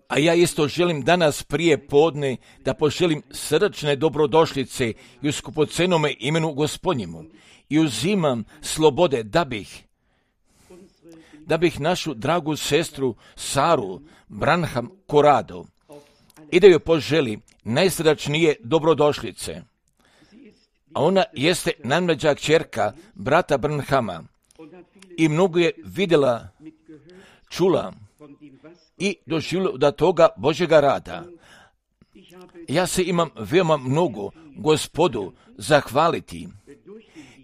A ja isto želim danas prije podne da poželim srdačne dobrodošlice i u skupocenome imenu Gospodnjemu i uzimam slobode da bih našu dragu sestru Saru Branham Corrado i da joj poželim najsrdačnije dobrodošlice. A ona jeste najmlađa kćerka brata Branhama i mnogo je vidjela, čula i doživjela da toga Božjega rada. Ja se imam veoma mnogo Gospodu zahvaliti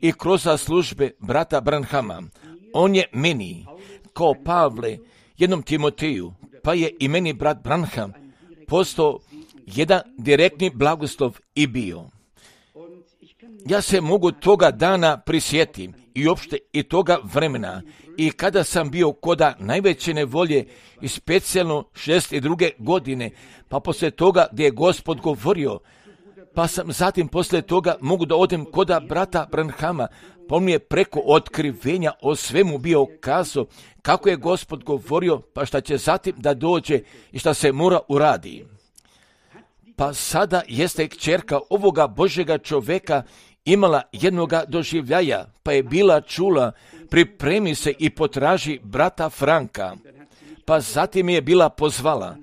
i kroz službe brata Branhama. On je meni, kao Pavle, jednom Timoteju, pa je i meni brat Branham postao jedan direktni blagoslov i bio. Ja se mogu toga dana prisjetim i uopšte i toga vremena i kada sam bio koda najveće nevolje i specijalno 62. godine, pa poslije toga gdje je Gospod govorio, pa sam zatim poslije toga mogu da odem koda brata Branhama, pa on mi je preko otkrivenja o svemu bio kazao kako je Gospod govorio, pa šta će zatim da dođe i šta se mora uradi. Pa sada jeste kćerka ovoga Božjega čoveka imala jednoga doživljaja, pa je bila čula, pripremi se i potraži brata Franka. Pa zatim je bila pozvala,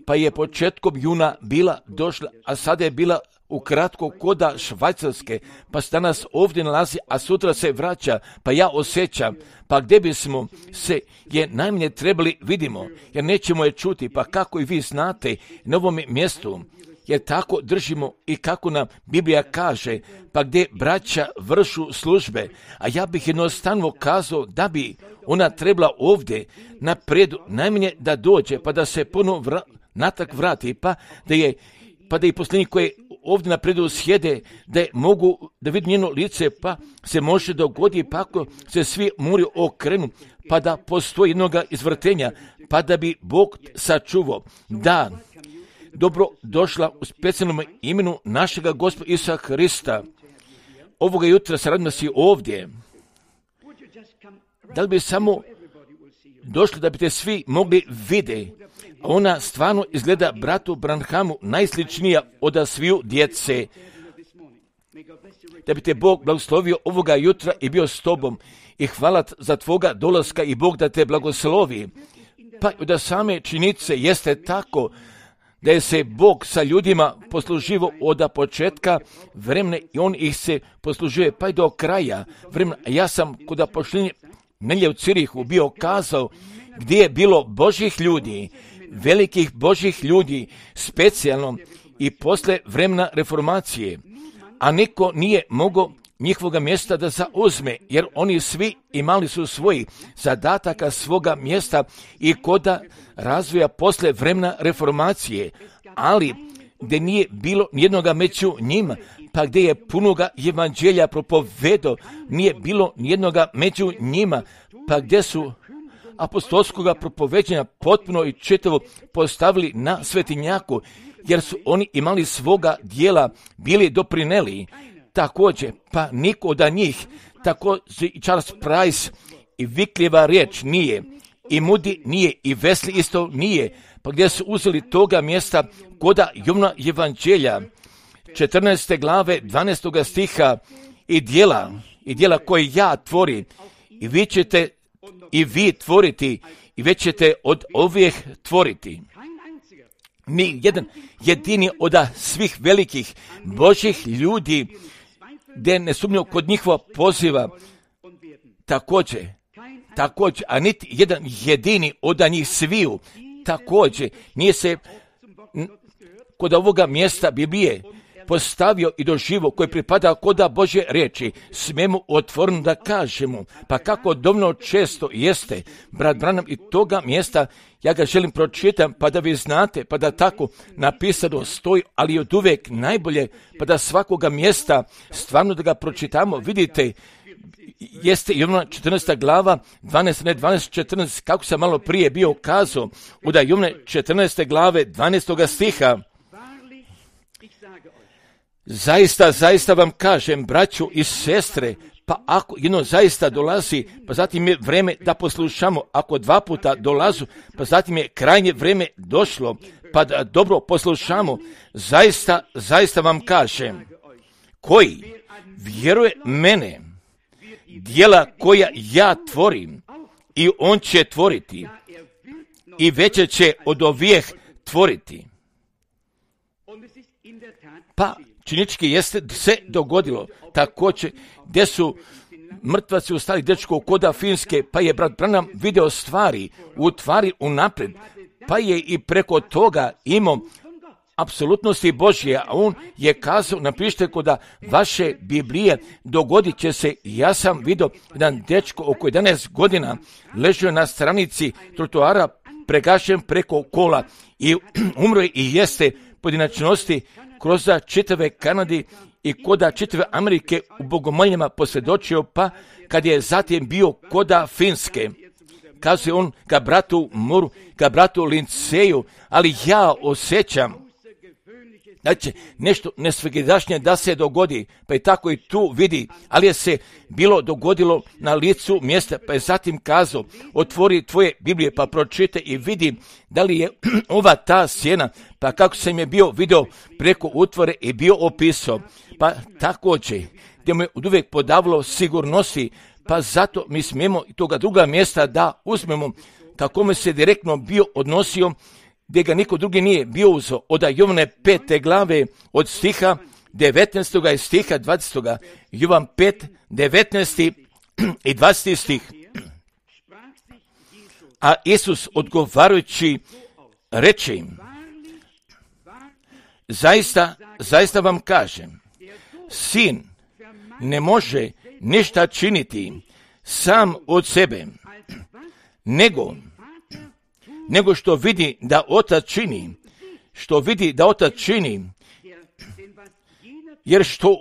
pa je početkom juna bila došla, a sada je bila ukratko koda Švajcarske, pa se danas ovdje nalazi, a sutra se vraća, pa ja osjećam, pa gdje bismo se je najmanje trebali vidimo, jer nećemo je čuti, pa kako i vi znate na ovom mjestu, jer tako držimo i kako nam Biblija kaže, pa gdje braća vršu službe, a ja bih jednostavno kazao da bi ona trebala ovdje napredu najmanje da dođe, pa da se ponovo natrag vrati, pa da i posljednji koji ovdje napredu sjede, da mogu da vidi njeno lice, pa se može dogoditi, pa ako se svi muri okrenu, pa da postoji jednoga izvrtenja, pa da bi Bog sačuvao. Da, dobro došla u specijalnom imenu našega Gospoda Isusa Hrista. Ovoga jutra se radim da si ovdje. Da li bi samo došli da bi te svi mogli vidjeti? A ona stvarno izgleda bratu Branhamu najsličnija od sviju djece. Da bi te Bog blagoslovio ovoga jutra i bio s tobom. I hvala za tvoga dolaska i Bog da te blagoslovi. Pa da same činjenice jeste tako da je se Bog sa ljudima posluživo od početka vremena i on ih se poslužuje pa i do kraja vremena. Ja sam kod pošljenja nelje u Cirihu bio kazao gdje je bilo Božjih ljudi, velikih Božjih ljudi, specijalno i posle vremena reformacije, a niko nije mogao njihovoga mjesta da zauzme, jer oni svi imali su svojih zadataka svoga mjesta i koda razvoja posle vremena reformacije, ali gdje nije bilo nijednoga među njima, pa gdje je punoga evanđelja propovedao, nije bilo nijednoga među njima, pa gdje su apostolskoga propoveđenja potpuno i čitavo postavili na svetinjaku, jer su oni imali svoga dijela, bili doprineli. Također, pa niko od njih, također i Charles Price i Viklijeva riječ nije, i Moody nije, i Wesley isto nije, pa gdje su uzeli toga mjesta koda Jovna evanđelja, 14. glave, 12. stiha, i dijela koje ja tvorim, i vi ćete i vi tvoriti, i već ćete od ovih tvoriti. Ni jedan jedini od svih velikih Božjih ljudi, gdje ne sumnjao kod njihova poziva, također, a niti jedan jedini od njih sviju, također, nije se kod ovoga mjesta Biblije postavio i doživo koji pripada koda Božje riječi, smijemo otvoreno da kažemo, pa kako dovoljno često jeste, brat Branham i toga mjesta, ja ga želim pročitam, pa da vi znate, pa da tako napisano stoji, ali od uvijek najbolje, pa da svakoga mjesta stvarno da ga pročitamo, vidite, jeste Jovna 14. glava, 12, kako sam malo prije bio kazao, od Jovne 14. glave, 12. stiha, zaista vam kažem, braću i sestre, Pa ako jedno zaista dolazi, pa zatim je vreme da poslušamo. Ako 2 puta dolazu, pa zatim je krajnje vreme došlo, pa da dobro poslušamo. Zaista vam kažem, koji vjeruje mene, djela koja ja tvorim, i on će tvoriti, i veće će od ovih tvoriti. Pa činički jeste se dogodilo također gdje su mrtvaci ustali dečko koda Finske, pa je brat Branham video stvari unaprijed, pa je i preko toga imao apsolutnosti Božje, a on je kazao, napišite koda vaše Biblije, dogodit će se. Ja sam vidio jedan dečko oko 11 godina ležio na stranici trotoara pregašen preko kola i umro je i jeste pojedinačnosti kroz čitave Kanadi i koda čitave Amerike u bogomoljama posvjedočio, pa kad je zatim bio koda Finske, kazuje on ka bratu Muru, ka bratu Linceju, ali ja osjećam da će nešto nesvegdašnje da se dogodi, pa je tako i tu vidi, ali je se bilo dogodilo na licu mjesta, pa je zatim kazao, otvori tvoje Biblije pa pročitaj i vidi da li je ova ta sjena, pa kako sam je bio video preko utvore i bio opisao, pa također gdje mu je uvijek podavalo sigurnosti, pa zato mi smijemo i toga druga mjesta da uzmemo, kako me se direktno bio odnosio, gdje ga niko drugi nije bio uzeo, od Jovane 5. glave, od stiha 19. i stiha 20. Jovan 5, 19. i 20. stih. A Isus odgovarajući reče im, zaista vam kažem, sin ne može ništa činiti sam od sebe, nego što vidi da otac čini, jer što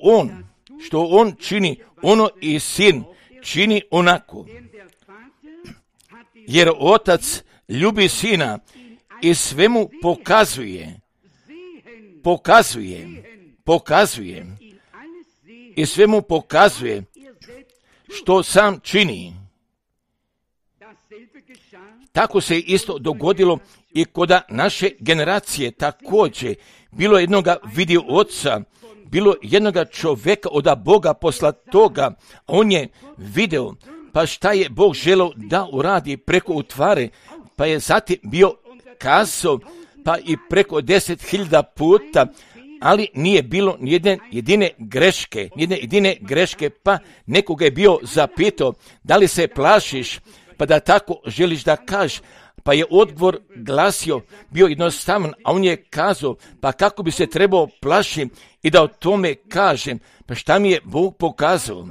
on čini, ono i sin čini onako. Jer otac ljubi sina i svemu pokazuje i svemu pokazuje što sam čini. Tako se isto dogodilo i kod naše generacije također. Bilo jednoga vidio oca, bilo jednoga čovjeka od Boga poslatoga, a on je video, pa šta je Bog želeo da uradi preko utvare, pa je zatim bio kazao, pa i preko 10.000 puta, ali nije bilo nijedne jedine greške, pa nekoga je bio zapitao, da li se plašiš, pa da tako želiš da kažeš, pa je odgovor glasio, bio jednostavan, a on je kazao, pa kako bi se trebao plašiti i da o tome kažem, pa šta mi je Bog pokazao?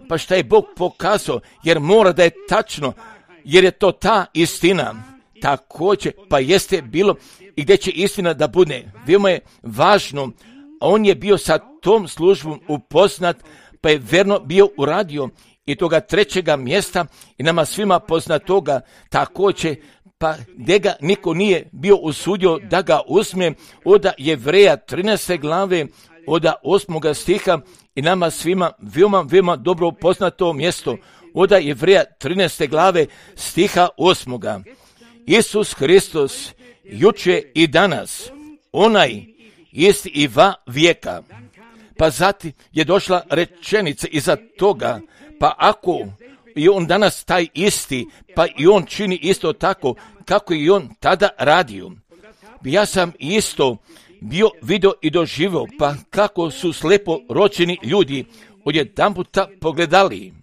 Pa šta je Bog pokazao, jer mora da je tačno, jer je to ta istina. Također, pa jeste bilo i gdje će istina da bude. Veoma je važno, a on je bio sa tom službom upoznat, pa je verno bio uradio i toga trećega mjesta i nama svima poznatoga također, pa gdje ga niko nije bio usudio da ga uzme, od Jevreja 13. glave, od 8. stiha i nama svima veoma dobro poznato mjesto, od Jevreja 13. glave stiha 8. Isus Hristos, juče i danas, onaj isti i va vijeka. Pa zatim je došla rečenica iza toga, pa ako i on danas taj isti, pa i on čini isto tako kako i on tada radio. Ja sam isto bio vidio i doživio, pa kako su slepo rođeni ljudi odjedanputa pogledali.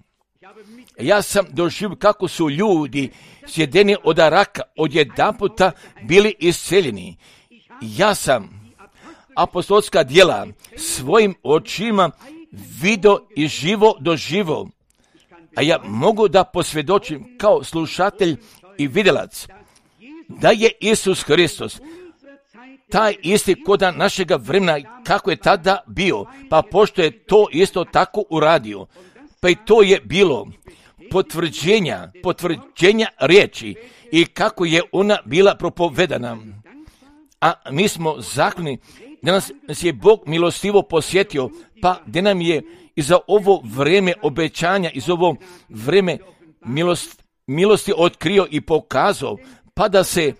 Ja sam doživio kako su ljudi sjedeni od raka odjedanputa bili isceljeni. Ja sam apostolska djela svojim očima vidio i živo doživo. A ja mogu da posvjedočim kao slušatelj i vidjelac da je Isus Hristos taj isti koda našega vremena kako je tada bio, pa pošto je to isto tako uradio, pa i to je bilo potvrđenja riječi i kako je ona bila propovedana. A mi smo zahvalni da nas je Bog milostivo posjetio, pa da nam je i za ovo vreme obećanja, i za ovo vreme milosti otkrio i pokazao, pa da se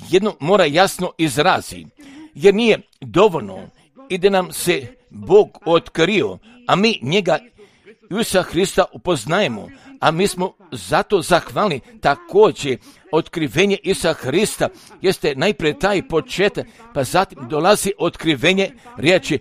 jedno mora jasno izrazi, jer nije dovoljno i da nam se Bog otkrio, a mi njega Isusa Hrista upoznajemo, a mi smo zato zahvalni. Također, otkrivenje Isusa Hrista jeste najprije taj početak, pa zatim dolazi otkrivenje riječi,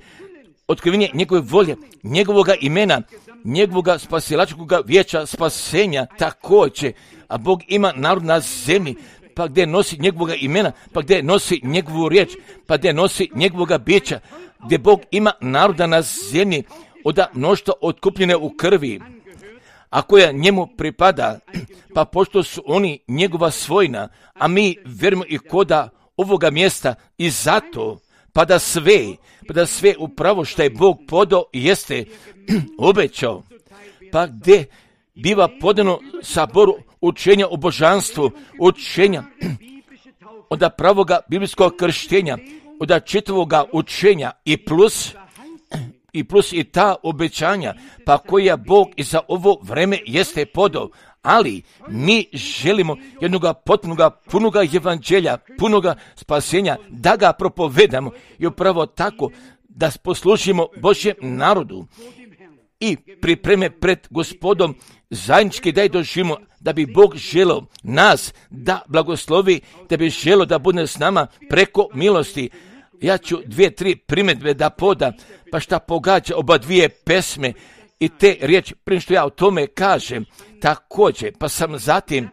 otkrivenje njegove volje, njegovoga imena, njegovoga spasilačkog vijeća spasenja također, a Bog ima narod na zemlji, pa gdje nosi njegovoga imena, pa gdje nosi njegovu riječ, pa gdje nosi njegovoga bića, gdje Bog ima naroda na zemlji od mnoštva otkupljene u krvi, a koja njemu pripada, pa pošto su oni njegova svojina, a mi vjerujemo i koda ovoga mjesta i zato, pa da sve upravo što je Bog podao jeste obećao, pa gdje biva podano saboru učenja o božanstvu, učenja od pravoga biblijskog krštenja, od čitavoga učenja i plus i ta obećanja, pa koja Bog i za ovo vreme jeste podao. Ali mi želimo jednoga potpunoga, punoga evanđelja, punoga spasenja, da ga propovedamo i upravo tako da poslužimo Božjem narodu i pripreme pred Gospodom zajednički da je doživimo, da bi Bog želio nas da blagoslovi, da bi želio da bude s nama preko milosti. Ja ću 2-3 primjedbe da poda, pa šta pogađa oba dvije pesme i te riječi, prije što ja o tome kažem, također, pa sam zatim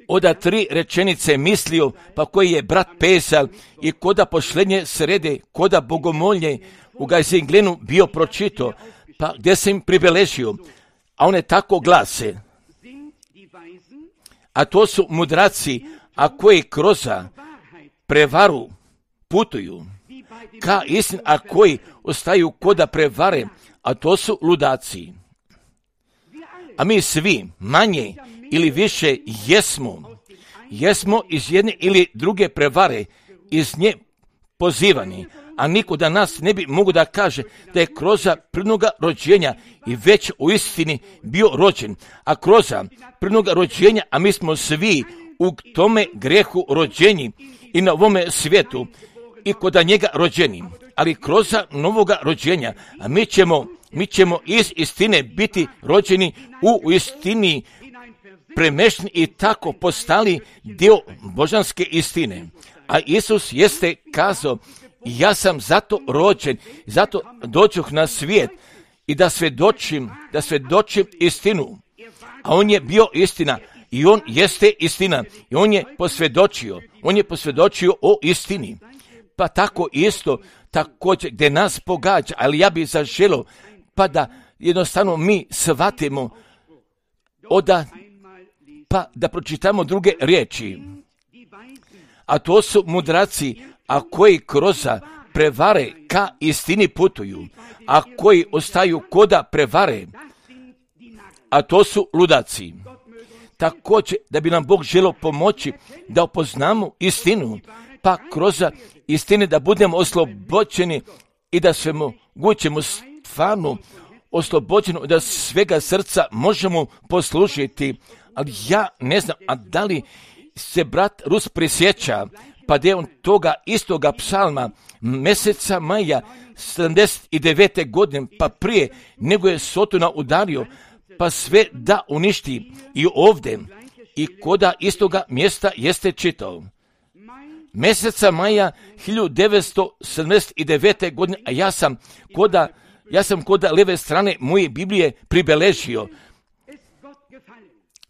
od 3 rečenice mislio, pa koji je brat Pesal i koda pošlenje srede, koda bogomolje u Gajzinglenu bio pročito, pa gdje sam im pribeležio, a one tako glase, a to su mudraci, a koji kroz prevaru putuju, ka istin, a koji ostaju koda prevare, a to su ludaci. A mi svi, manje ili više, jesmo iz jedne ili druge prevare, iz nje pozivani, a niko da nas ne bi mogu da kaže da je kroz prirodnoga rođenja i već u istini bio rođen, a kroz prirodnoga rođenja, a mi smo svi u tome grehu rođeni i na ovome svijetu i kod njega rođeni, ali kroz novoga rođenja, a mi ćemo iz istine biti rođeni u istini, premešteni i tako postali dio božanske istine. A Isus jeste kazao, ja sam zato rođen, zato dođoh na svijet i da svjedočim istinu. A on je bio istina i on jeste istina i on je posvjedočio o istini. Pa tako isto, također gdje nas pogađa, ali ja bih zaželio pa da jednostavno mi shvatimo pa da pročitamo druge riječi. A to su mudraci, a koji kroz prevare ka istini putuju, a koji ostaju koda prevare, a to su ludaci. Također da bi nam Bog želio pomoći da upoznamo istinu, pa kroz istine da budemo oslobođeni i da sve mogućemo stvarno oslobođeni da svega srca možemo poslušati. Ali ja ne znam, a da li se brat Rus prisjeća, pa da je on toga istoga psalma mjeseca maja 79. godine, pa prije nego je Sotona udario, pa sve da uništi i ovdje i koda istoga mjesta jeste čitao. Mjeseca maja 1979. godine, a ja sam koda leve strane moje Biblije pribeležio,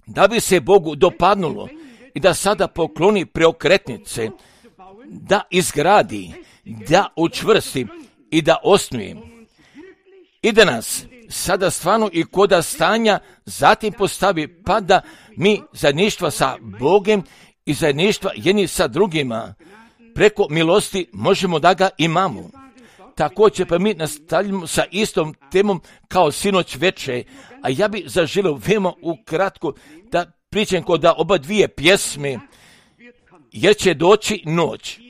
da bi se Bogu dopadnulo i da sada pokloni preokretnice, da izgradi, da učvrsti i da osnuje. I da nas sada stvarno i koda stanja zatim postavi, pa da mi zajedništva sa Bogom i zajedništva jedni sa drugima preko milosti možemo da ga imamo. Također pa mi nastavljamo sa istom temom kao sinoć večer, a ja bih zaželio veoma ukratko da pričam kod oba dvije pjesme, jer će doći noć.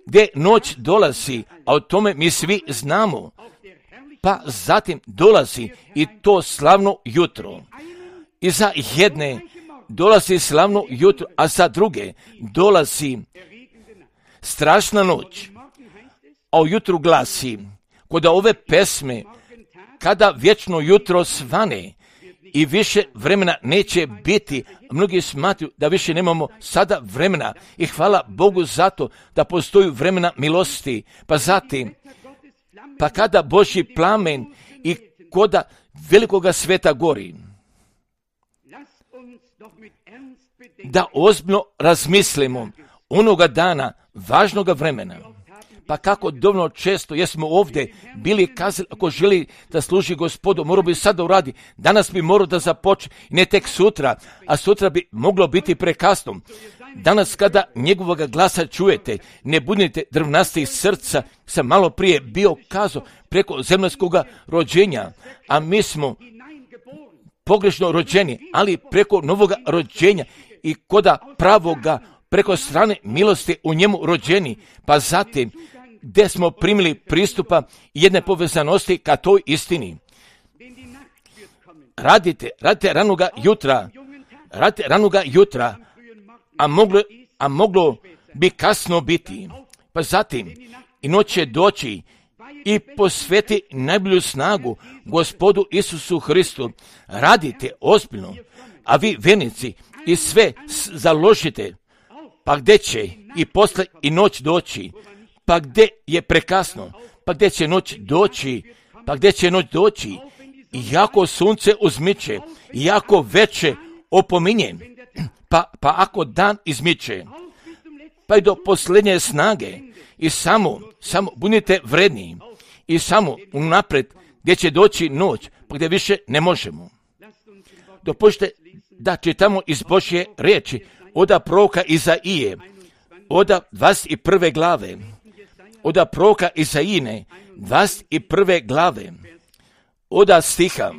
gdje noć dolazi, a o tome mi svi znamo. Pa zatim dolazi i to slavno jutro. I za jedne dolazi slavno jutro, a za druge dolazi strašna noć. A u jutru glasi, kod ove pesme, kada vječno jutro svane i više vremena neće biti, mnogi smatruju da više nemamo sada vremena i hvala Bogu zato da postoji vremena milosti. Pa zatim, pa kada Božji plamen i koda velikoga sveta gori, da ozbiljno razmislimo onoga dana, važnoga vremena. Pa kako dovoljno često jesmo ovdje bili kazali, ako želi da služi Gospodu, morao bi sada uradi. Danas bi morao da započne, ne tek sutra, a sutra bi moglo biti prekasno. Danas kada njegovog glasa čujete, ne budite drvnastih srca, sam malo prije bio kazao preko zemaljskog rođenja, a mi smo pogrešno rođeni, ali preko novoga rođenja i koda pravoga, preko strane milosti u njemu rođeni, pa zatim gdje smo primili pristupa jedne povezanosti ka toj istini. Radite ranoga jutra, a moglo bi kasno biti. Pa zatim i noć će doći i posveti najbolju snagu Gospodu Isusu Hristu. Radite ozbiljno, a vi vernici i sve založite. Pa gdje će i posle i noć doći? Pa gdje je prekasno? Pa gdje će noć doći? Iako sunce uzmiče, iako veče opominje, pa ako dan izmiče, pa i do posljednje snage, i samo budite vredni, i samo unaprijed gdje će doći noć, pa gdje više ne možemo. Dopustite da čitamo iz Božje riječi, oda proroka Izaije, oda 21. glave, oda proroka Izaijine, 21. glave, oda stiha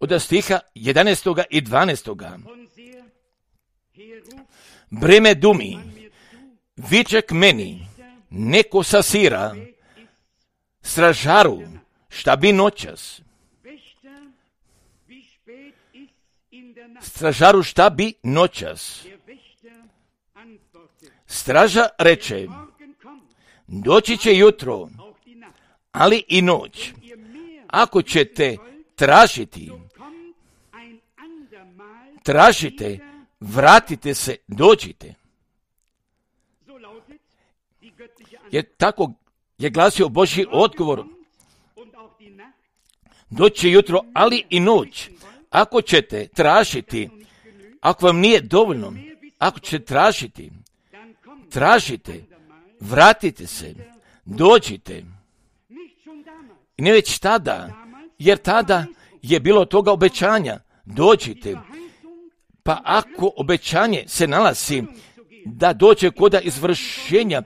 11. i 12. Breme dumi, viček meni, neko sasira, stražaru, šta bi noćas? Stražaru, šta bi noćas? Straža reče, doći će jutro, ali i noć. Ako ćete tražite, vratite se, dođite. Jer tako je glasio Božji odgovor. Doći će jutro, ali i noć. Ako ćete tražiti, ako vam nije dovoljno, ako ćete tražite, vratite se, dođite. I ne već tada, jer tada je bilo toga obećanja, dođite. Pa ako obećanje se nalazi da dođe koda izvršenja,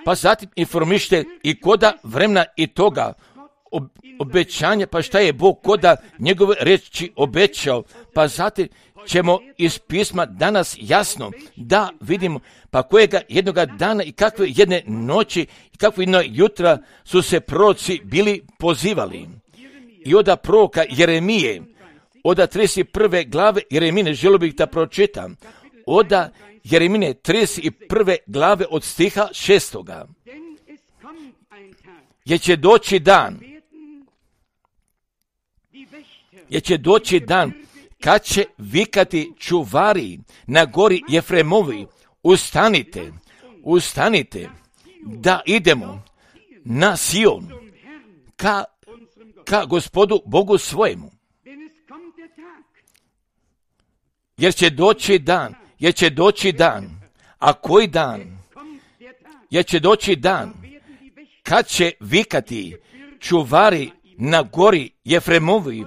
pa zatim informište i koda vremena i toga obećanja, pa šta je Bog koda njegove riječi obećao, pa zatim ćemo iz pisma danas jasno da vidimo pa kojega jednoga dana i kakve jedne noći i kakve jedno jutra su se proroci bili pozivali. I oda proroka Jeremije, oda 31. glave Jeremine, želio bih da pročitam, oda Jeremine 31. glave od stiha 6. Jer će doći dan kad će vikati čuvari na gori Jefremovi, ustanite, da idemo na Sion, ka Gospodu Bogu svojemu. Jer će doći dan, a koji dan? Jer će doći dan kad će vikati čuvari na gori Jefremovi,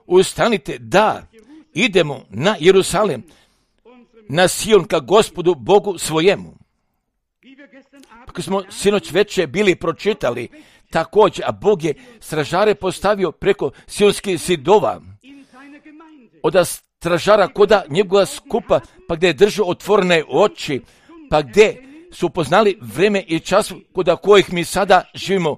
ustanite, da idemo na Jerusalem, na Sion, ka Gospodu Bogu svojemu. Kako smo sinoć večer bili pročitali, također, a Bog je stražare postavio preko sionskih zidova, od stražara koda njegova skupa, pa gdje je držao otvorene oči, pa gdje su poznali vreme i čas kod kojih mi sada živimo,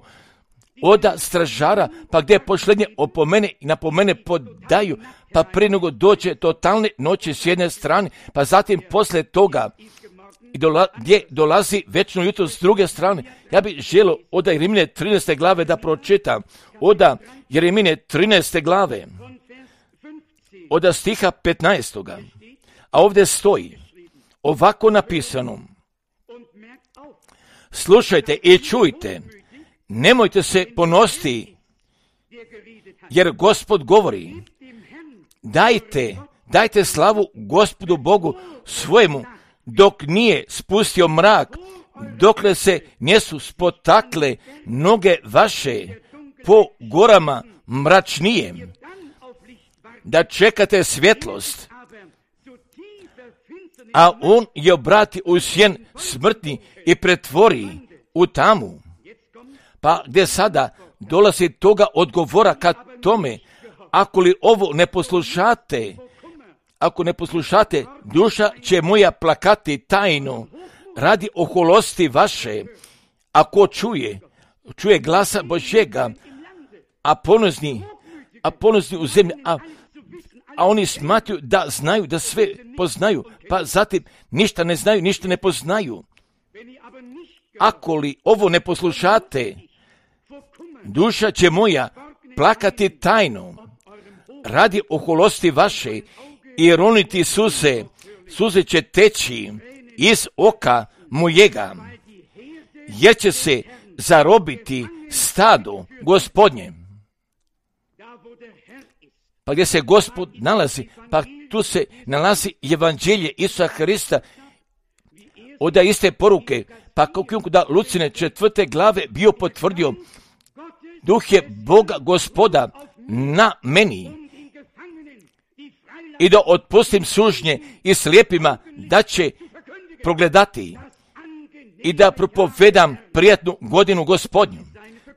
oda stražara, pa gdje pošlednje opomene i napomene podaju, pa prije nego dođe totalne noći s jedne strane, pa zatim poslije toga gdje dolazi večno jutro s druge strane. Ja bih želio oda Jeremije 13. glave da pročitam, oda Jeremije 13. glave, oda stiha 15. A ovdje stoji ovako napisano: slušajte i čujte, nemojte se ponositi, jer Gospod govori, dajte slavu Gospodu Bogu svojemu, dok nije spustio mrak, dokle se nisu spotakle noge vaše po gorama mračnije, da čekate svjetlost, a on je obrati u sjen smrtni i pretvori u tamu. Pa gdje sada dolazi toga odgovora ka tome, ako li ovo ne poslušate, duša će moja plakati tajno radi oholosti vaše, ako čuje glasa Božjega, a ponosni u zemlji, a oni smatruju da znaju, da sve poznaju, pa zatim ništa ne znaju, ništa ne poznaju. Ako li ovo ne poslušate, duša će moja plakati tajno radi oholosti vaše i roniti suze će teći iz oka mojega, jer će se zarobiti stado Gospodnje. Pa gdje se Gospod nalazi, pa tu se nalazi evanđelje Isusa Hrista, od iste poruke, pa kako da Lucine 4. glave bio potvrdio, duh je Boga Gospoda na meni, i da otpustim sužnje i slijepima da će progledati i da propovedam prijatnu godinu Gospodnju.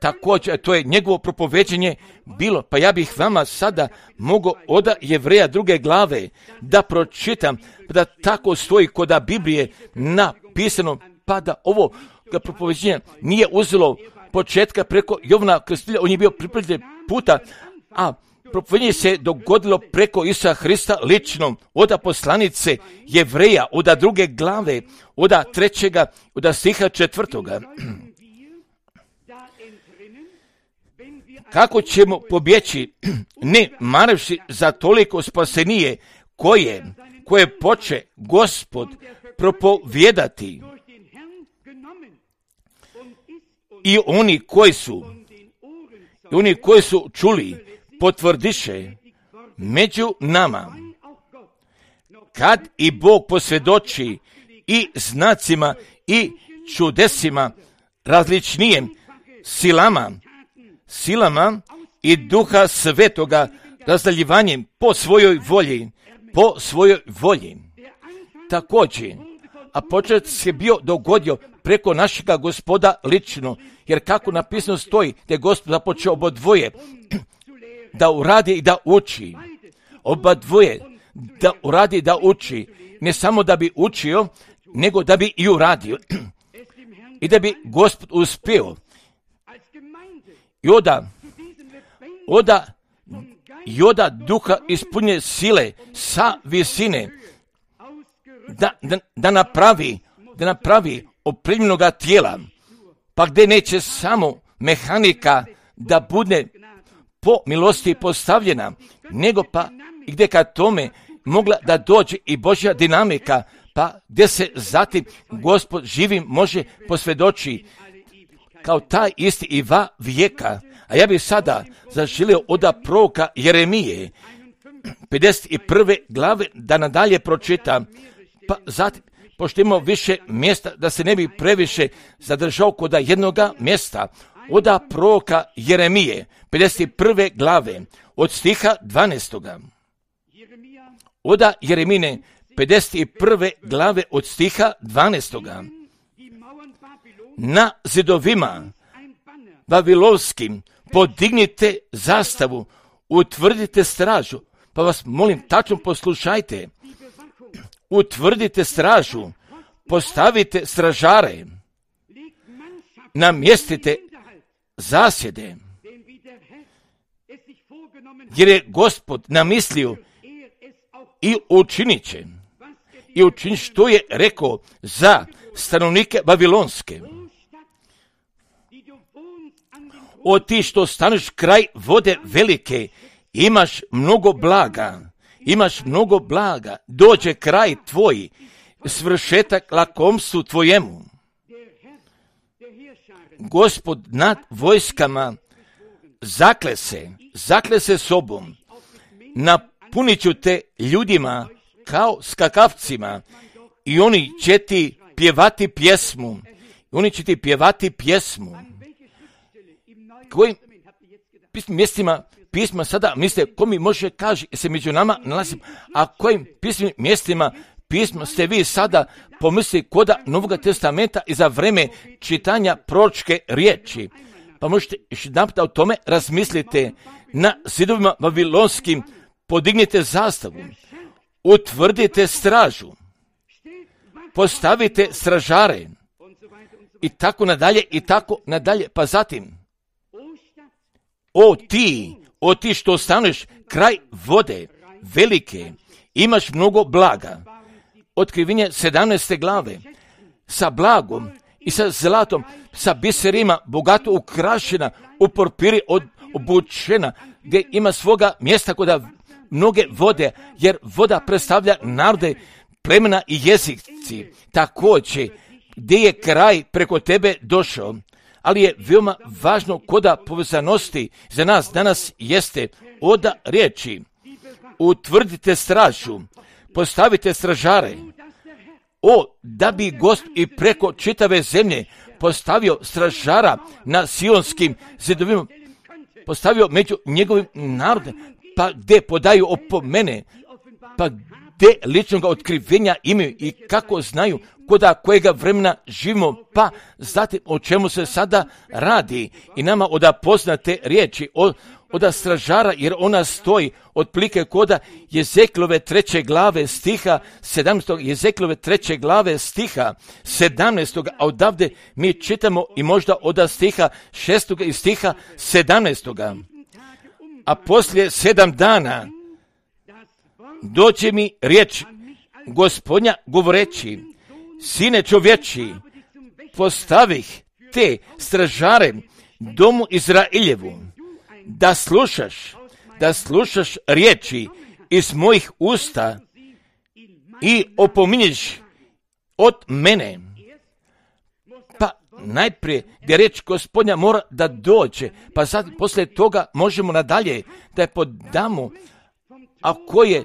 Također, to je njegovo propoveđenje bilo, pa ja bih vama sada mogao od Jevreja 2. glave da pročitam, da tako stoji kod Biblije napisano, pa da ovo propoveđenje nije uzelo početka preko Jovana Krstitelja, on je bio pripremljen puta, a propoveđenje se dogodilo preko Isusa Hrista lično, od poslanice Jevreja, od 2. glave, od 3. od stiha 4. Kako ćemo pobjeći, ne maravši za toliko spasenije koje poče Gospod propovijedati, i oni koji su čuli potvrdiše među nama, kad i Bog posvjedoči i znacima i čudesima različnijim silama i Duha Svetoga razdaljivanjem po svojoj volji. Također, a počet se bio dogodio preko našega Gospoda lično, jer kako napisano stoji, da je Gospod započeo obodvoje da uradi i da uči. Obadvoje da uradi i da uči, ne samo da bi učio, nego da bi i uradio. I da bi Gospod uspio. I oda duha ispunje sile sa visine, da napravi opremljenoga tijela, pa gdje neće samo mehanika da bude po milosti postavljena, nego pa i gdje ka tome mogla da dođe i Božja dinamika, pa gdje se zatim Gospod živim može posvjedoči kao taj isti i va vijeka. A ja bih sada zaželio od proroka Jeremije 51. glave da nadalje pročitam, pa zatim, pošto imamo više mjesta, da se ne bi previše zadržao kod jednoga mjesta, od proroka Jeremije 51. glave od stiha 12. Od Jeremine 51. glave od stiha 12. Na zidovima vavilovskim podignite zastavu, utvrdite stražu. Pa vas molim, tačno poslušajte. Utvrdite stražu, postavite stražare, namjestite zasjede, jer je Gospod namislio i učinit će. I učinit što je rekao za stanovnike Babilonske. O ti što staneš kraj vode velike, imaš mnogo blaga, dođe kraj tvoj, svršetak lakomstvu tvojemu. Gospod nad vojskama zakle se sobom, napunit ću te ljudima kao skakavcima i oni će ti pjevati pjesmu. Kojim mjestima pisma sada mislite, ko mi može kaže se među nama nalazim, a kojim pismim mjestima pisma ste vi sada pomislili koda Novog testamenta i za vreme čitanja proročke riječi. Pa možete još jedanput o tome razmislite. Na zidovima babilonskim podignite zastavu, utvrdite stražu, postavite stražare i tako nadalje, pa zatim o ti što staneš kraj vode velike, imaš mnogo blaga. Otkrivenje 17. glave, sa blagom i sa zlatom, sa biserima, bogato ukrašena, u porpiri obučena, gdje ima svoga mjesta kod mnoge vode, jer voda predstavlja narode, plemena i jezici. Također, gdje je kraj preko tebe došao, ali je veoma važno koda povezanosti za nas danas jeste oda riječi. Utvrdite stražu, postavite stražare. Da bi Gospod i preko čitave zemlje postavio stražara na sionskim zidovima, postavio među njegovim narodom, pa gdje podaju opomene, pa gdje ličnog otkrivenja imaju i kako znaju koda kojega vremena živimo, pa zatim o čemu se sada radi i nama oda poznate riječi oda stražara, jer ona stoji otprilike koda Jezekielove 3. glave stiha 17. Jezekielove 3. glave stiha 17. A odavde mi čitamo i možda oda stiha 6. i stiha 17. A poslije 7 dana dođe mi riječ Gospodnja govoreći, sine čovječi, postavih te stražare domu Izraeljevu, da slušaš riječi iz mojih usta i opominješ od mene. Pa najprije gdje riječ Gospodnja mora da dođe, pa sad poslije toga možemo nadalje da je podamo, a koje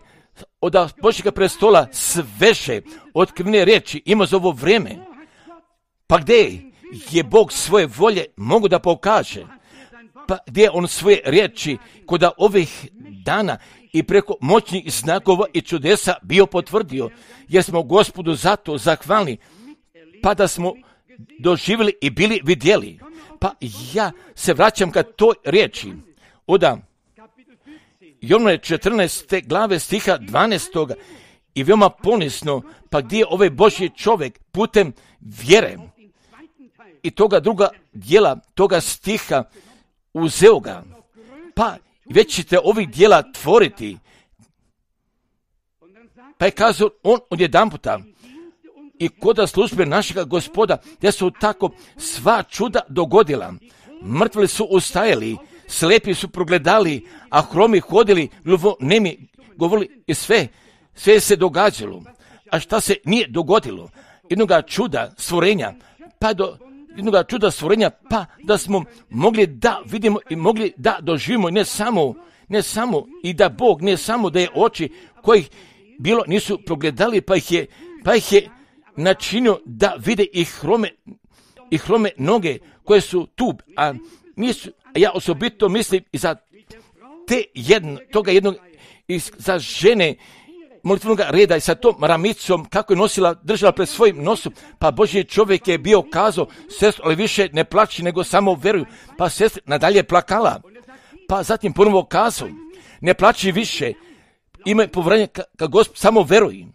od Božjega prestola sveže otkrivene riječi ima za ovo vrijeme. Pa gdje je Bog svoje volje mogu da pokaže? Pa gdje on svoje riječi kod ovih dana i preko moćnih znakova i čudesa bio potvrdio, jer smo Gospodu zato zahvalni, pa da smo doživjeli i bili vidjeli. Pa ja se vraćam ka toj riječi. Jovnove 14. glave stiha 12. i veoma ponisno, pa gdje je ovaj Božji čovjek putem vjere i toga druga dijela toga stiha uzeo ga, pa već ćete ovih dijela tvoriti. Pa je kazao on odjedanputa i koda službe našega Gospoda, gdje su tako sva čuda dogodila. Mrtvi su ustajali, slepi su progledali, a hromi hodili, gluvonemi govorili i sve se događalo. A šta se nije dogodilo? Jednoga čuda stvorenja, pa da smo mogli da vidimo i mogli da doživimo, ne samo i da Bog, ne samo da je oči kojih bilo nisu progledali, pa ih je načinio da vide i hrome noge koje su tu, a nisu. Ja osobito mislim i za toga jednog i za žene molitvenog reda i sa tom ramicom kako je držala pred svojim nosom, pa Božji čovjek je bio kazao, sestro, ali više ne plaći nego samo veruju, pa sestra nadalje plakala, pa zatim ponovo kazao, ne plaći više, imaj povjerenje ka Gospod, samo veruj.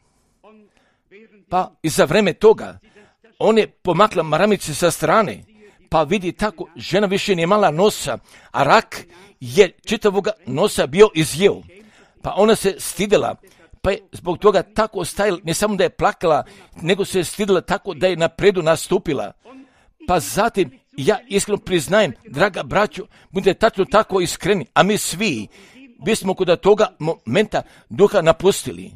Pa i za vreme toga on je pomakla maramice sa strane, pa vidi tako, žena više nije imala nosa, a rak je čitavoga nosa bio izjeo. Pa ona se stidela, pa je zbog toga tako stajala, ne samo da je plakala, nego se je stidela tako da je napredu nastupila. Pa zatim, ja iskreno priznajem, draga braćo, budite tačno tako iskreni, a mi svi bismo kod toga momenta duha napustili.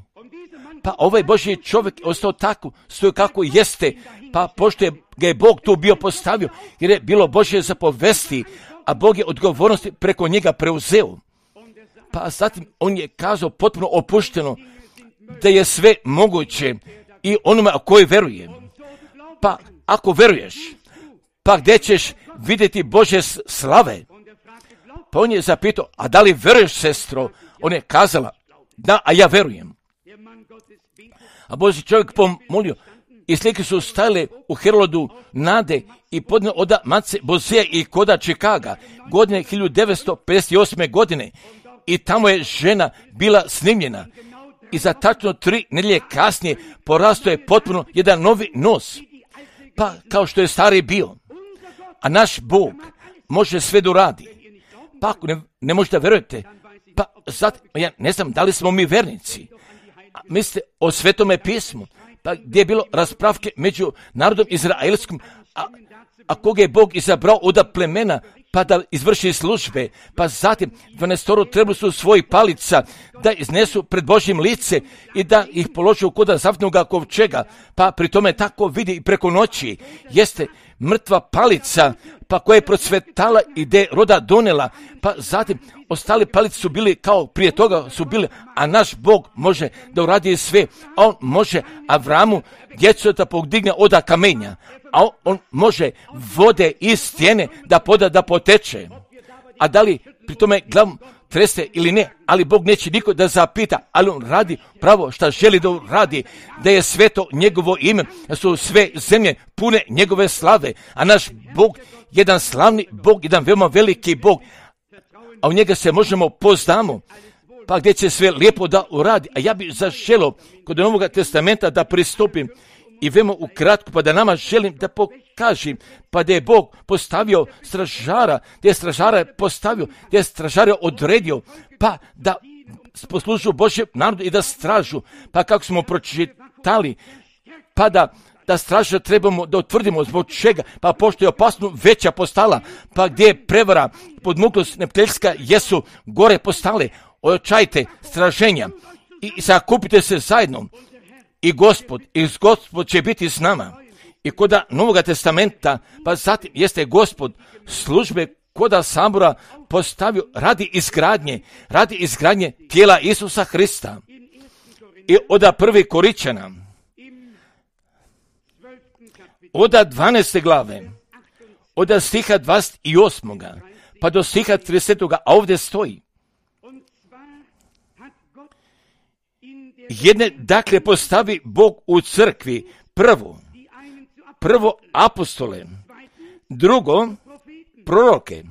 Pa ovaj Božji čovjek ostao tako, stoji kako jeste, pa pošto je ga je Bog tu bio postavio, jer je bilo Božje zapovesti, a Bog je odgovornosti preko njega preuzeo. Pa zatim on je kazao potpuno opušteno da je sve moguće i onome koji veruje. Pa ako veruješ, pa gdje ćeš vidjeti Božje slave? Pa on je zapitao, a da li veruješ, sestro? On je kazala, da, a ja verujem. A Božji čovjek pomolio i slike su stajale u Herolodu nade i podne oda Mace Bozeja i koda Čikaga godine 1958. godine i tamo je žena bila snimljena i za tačno 3 nedjelje kasnije porastao je potpuno jedan novi nos, pa kao što je stari bio. A naš Bog može sve da uradi. Pa ako ne možete verujete, pa zato, ja ne znam da li smo mi vernici. Mislite o Svetome pismu, pa gdje je bilo raspravke među narodom izraelskom, a koga je Bog izabrao od plemena, pa da izvrši službe, pa zatim 12 trebali su svojih palica da iznesu pred Božjim lice i da ih položu kod zavnoga kovčega, pa pri tome tako vidi i preko noći, jeste mrtva palica, pa koja je procvetala i gdje roda donela, pa zatim ostali palice su bili kao prije toga su bili, a naš Bog može da uradi sve, a on može Avramu djecu da podigne od kamenja, a on može vode iz stijene da poda da poteče. A da li pri tome glavom trese ili ne, ali Bog neće niko da zapita, ali on radi pravo šta želi da radi, da je sveto njegovo ime, da su sve zemlje pune njegove slave, a naš Bog, jedan slavni Bog, jedan veoma veliki Bog, a u njega se možemo poznamo, pa gdje će sve lijepo da uradi. A ja bih zaželio kod Novog testamenta da pristupim i veoma ukratko, pa da nama želim da pokažem, pa da je Bog postavio stražara, da je stražara postavio, da je stražara odredio, pa da poslužu Božjem narodu i da stražu, pa kako smo pročitali, pa da straža trebamo da utvrdimo zbog čega, pa pošto je opasno veća postala, pa gdje je prevara, podmuklost neprijateljska jesu gore postale, ojačajte straženja i sakupite se zajedno. I Gospod će biti s nama. I koda Novog testamenta, pa zatim jeste Gospod službe koda sabora postavio radi izgradnje tijela Isusa Hrista. I od 1. Korinćana, od 12. glave, od stiha 28. pa do stiha 30. a ovdje stoji. Jedne, dakle, postavi Bog u crkvi prvo apostole, drugo proroke,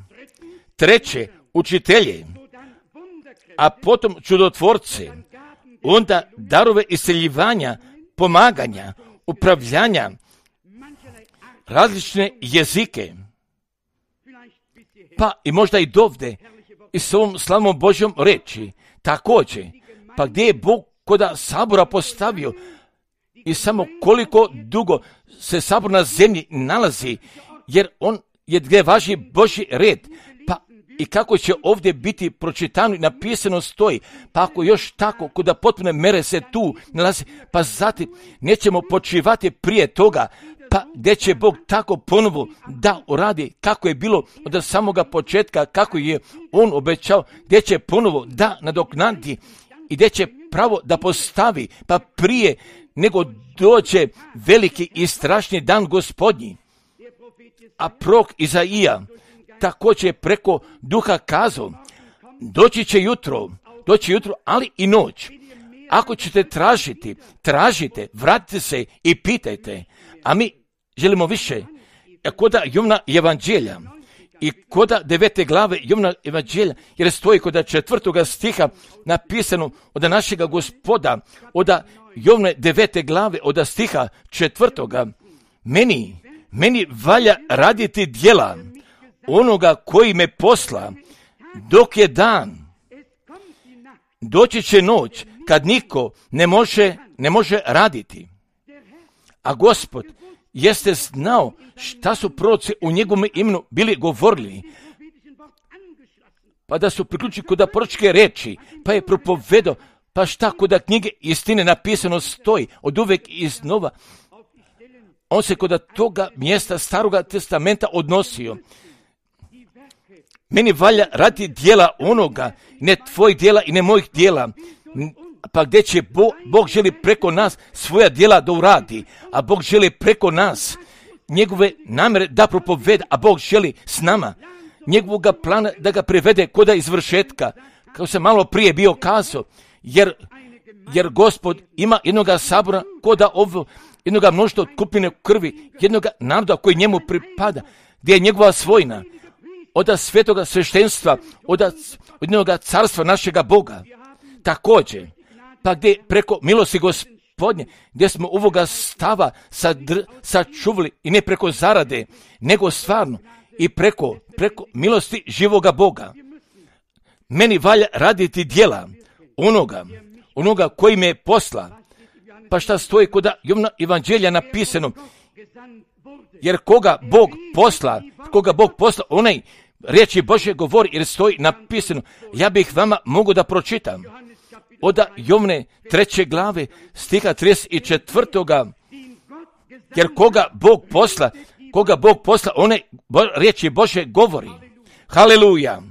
treće učitelje, a potom čudotvorce, onda darove isceljivanja, pomaganja, upravljanja, različne jezike, pa i možda i dovde i s ovom slavnom Božjom reči, također, pa gdje je Bog koda sabora postavio i samo koliko dugo se sabor na zemlji nalazi, jer on je gdje važi Božji red, pa i kako će ovdje biti pročitano i napisano stoji, pa ako još tako koda potpune mere se tu nalazi, pa zatim nećemo počivati prije toga, pa gdje će Bog tako ponovo da uradi kako je bilo od samoga početka, kako je on obećao, gdje će ponovo da nadoknadi i gdje će pravo da postavi, pa prije nego dođe veliki i strašni dan Gospodnji. A prorok Izaija također preko duha kazao, doći će jutro, ali i noć. Ako ćete tražite, vratite se i pitajte. A mi želimo više. Koda Jovna evanđelja i koda 9. glave Jovna evanđelja, jer stoji koda 4. stiha napisano od našega Gospoda, od Jovne 9. glave od stiha 4. Meni valja raditi djela onoga koji me posla dok je dan. Doći će noć kad niko ne može raditi. A Gospod jeste znao šta su proroci u njegovom imenu bili govorili, pa da su priključili kod proročke reči, pa je propovedao, pa šta kod knjige istine napisano stoji od uvek iznova. On se kod toga mjesta Staroga testamenta odnosio. Meni valja raditi djela onoga, ne tvojih djela i ne mojih djela. Pa gdje će Bog želi preko nas svoja djela da uradi, a Bog želi preko nas njegove namjere da propoveda, a Bog želi s nama njegovog plana da ga privede kod izvršetka, kao se malo prije bio kazao, jer Gospod ima jednoga sabora koda ovo, jednoga mnoštva od kupine krvi, jednoga naroda koji njemu pripada, gdje je njegova svojina, od svetoga sveštenstva, od jednoga carstva našega Boga. Također, pa gdje preko milosti Gospodnje, gdje smo ovoga stava sačuvali i ne preko zarade, nego stvarno i preko milosti živoga Boga. Meni valja raditi djela onoga koji me posla. Pa šta stoji kod Jovna evanđelja napisano? Jer koga Bog posla, onaj riječi Božje govori, jer stoji napisano. Ja bih vama mogu da pročitam. Od Jovne 3. glave stiha 34. Jer koga Bog posla, one riječi Božje govori. Haleluja!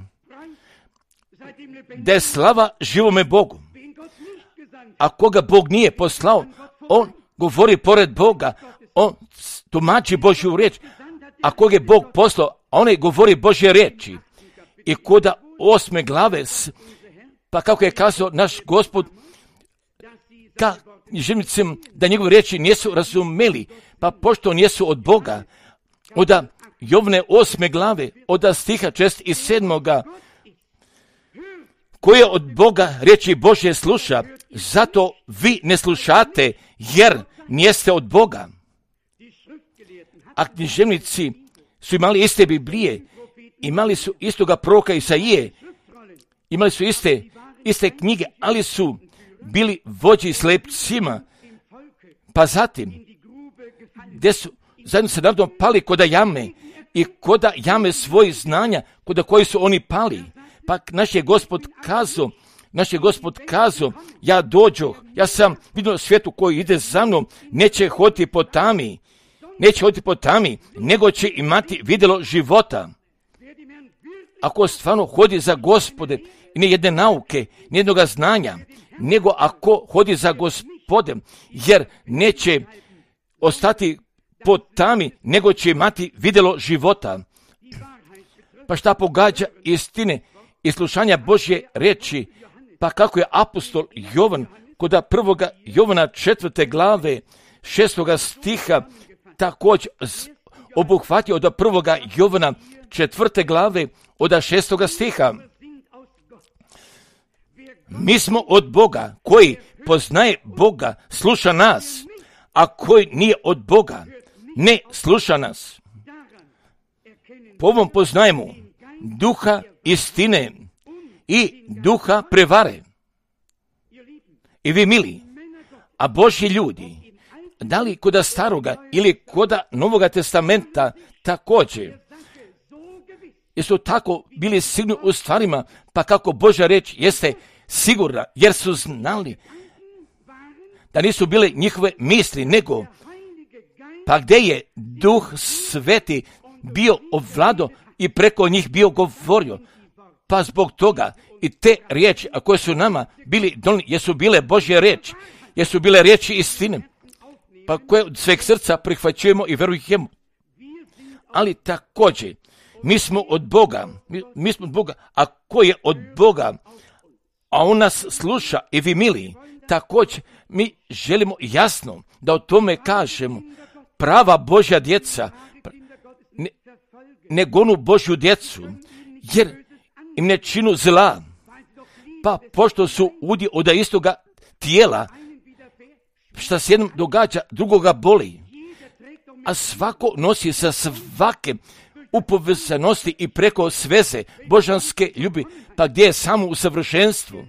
Da je slava živome Bogu. A koga Bog nije poslao, on govori pored Boga, on tumači Božju riječ. A koga je Bog poslao, on govori Božje riječi. I kod 8. glave, pa kako je kazao naš Gospod, želim da njegove riječi nisu razumeli, pa pošto nisu od Boga, od Jovne 8. glave, od stiha 6. i 7. koje od Boga riječi Božje sluša, zato vi ne slušate, jer nijeste od Boga. A književnici su imali iste Biblije, imali su istoga proroka Isaije, imali su iste knjige, ali su bili vođi slepcima. Pa zatim, gdje su zajedno sa narodom pali kod jame i kod jame svojih znanja, kod koji su oni pali. Pa naš je Gospod kazao, ja dođoh, ja sam vidio svijetu koji ide za mnom, neće hoditi po tami, nego će imati vidjelo života. Ako stvarno hodi za Gospode, i ne jedne nauke, ni jednoga znanja, nego ako hodi za Gospodem, jer neće ostati po tami, nego će imati vidjelo života. Pa šta pogađa istine i slušanja Božje riječi, pa kako je apostol Jovan kod 1. Jovana 4. glave 6. stiha također obuhvatio od 1. Jovana 4. glave od 6. stiha. Mi smo od Boga, koji poznaje Boga, sluša nas, a koji nije od Boga, ne sluša nas. Po ovom poznajemo duha istine i duha prevare. I vi mili, a Božji ljudi, da li kod staroga ili kod Novoga testamenta također, jesu tako bili sigurni u stvarima, pa kako Božja reč jeste sigurna, jer su znali da nisu bile njihove misli, nego pa gdje je Duh Sveti bio ovlado i preko njih bio govorio, pa zbog toga i te riječi, a koje su nama bili donijeli, jesu bile Božje riječi, jesu bile riječi istine, pa koje od sveg srca prihvaćujemo i verujemo. Ali također, mi smo od Boga, a ko je od Boga, a on nas sluša i vi mili, također mi želimo jasno da o tome kažemo. Prava Božja djeca ne gonu Božju djecu, jer im ne činu zla, pa pošto su udi od istoga tijela, šta se jednom događa, drugoga boli. A svako nosi sa svake upovezanosti i preko sveze božanske ljubi, pa gdje je samo u savršenstvu.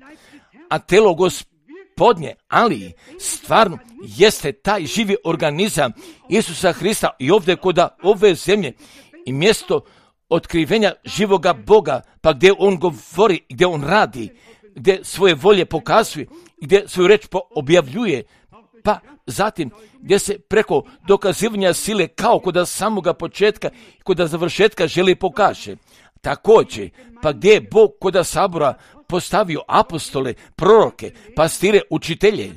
A telo Gospodnje, ali stvarno jeste taj živi organizam Isusa Hrista i ovdje kod ove zemlje i mjesto otkrivenja živoga Boga, pa gdje on govori, gdje on radi, gdje svoje volje pokazuje, gdje svoju reč objavljuje, pa zatim gdje se preko dokazivanja sile kao kod samoga početka i kod završetka želi pokaže. Također, pa gdje je Bog kod sabora postavio apostole, proroke, pastire, učitelje,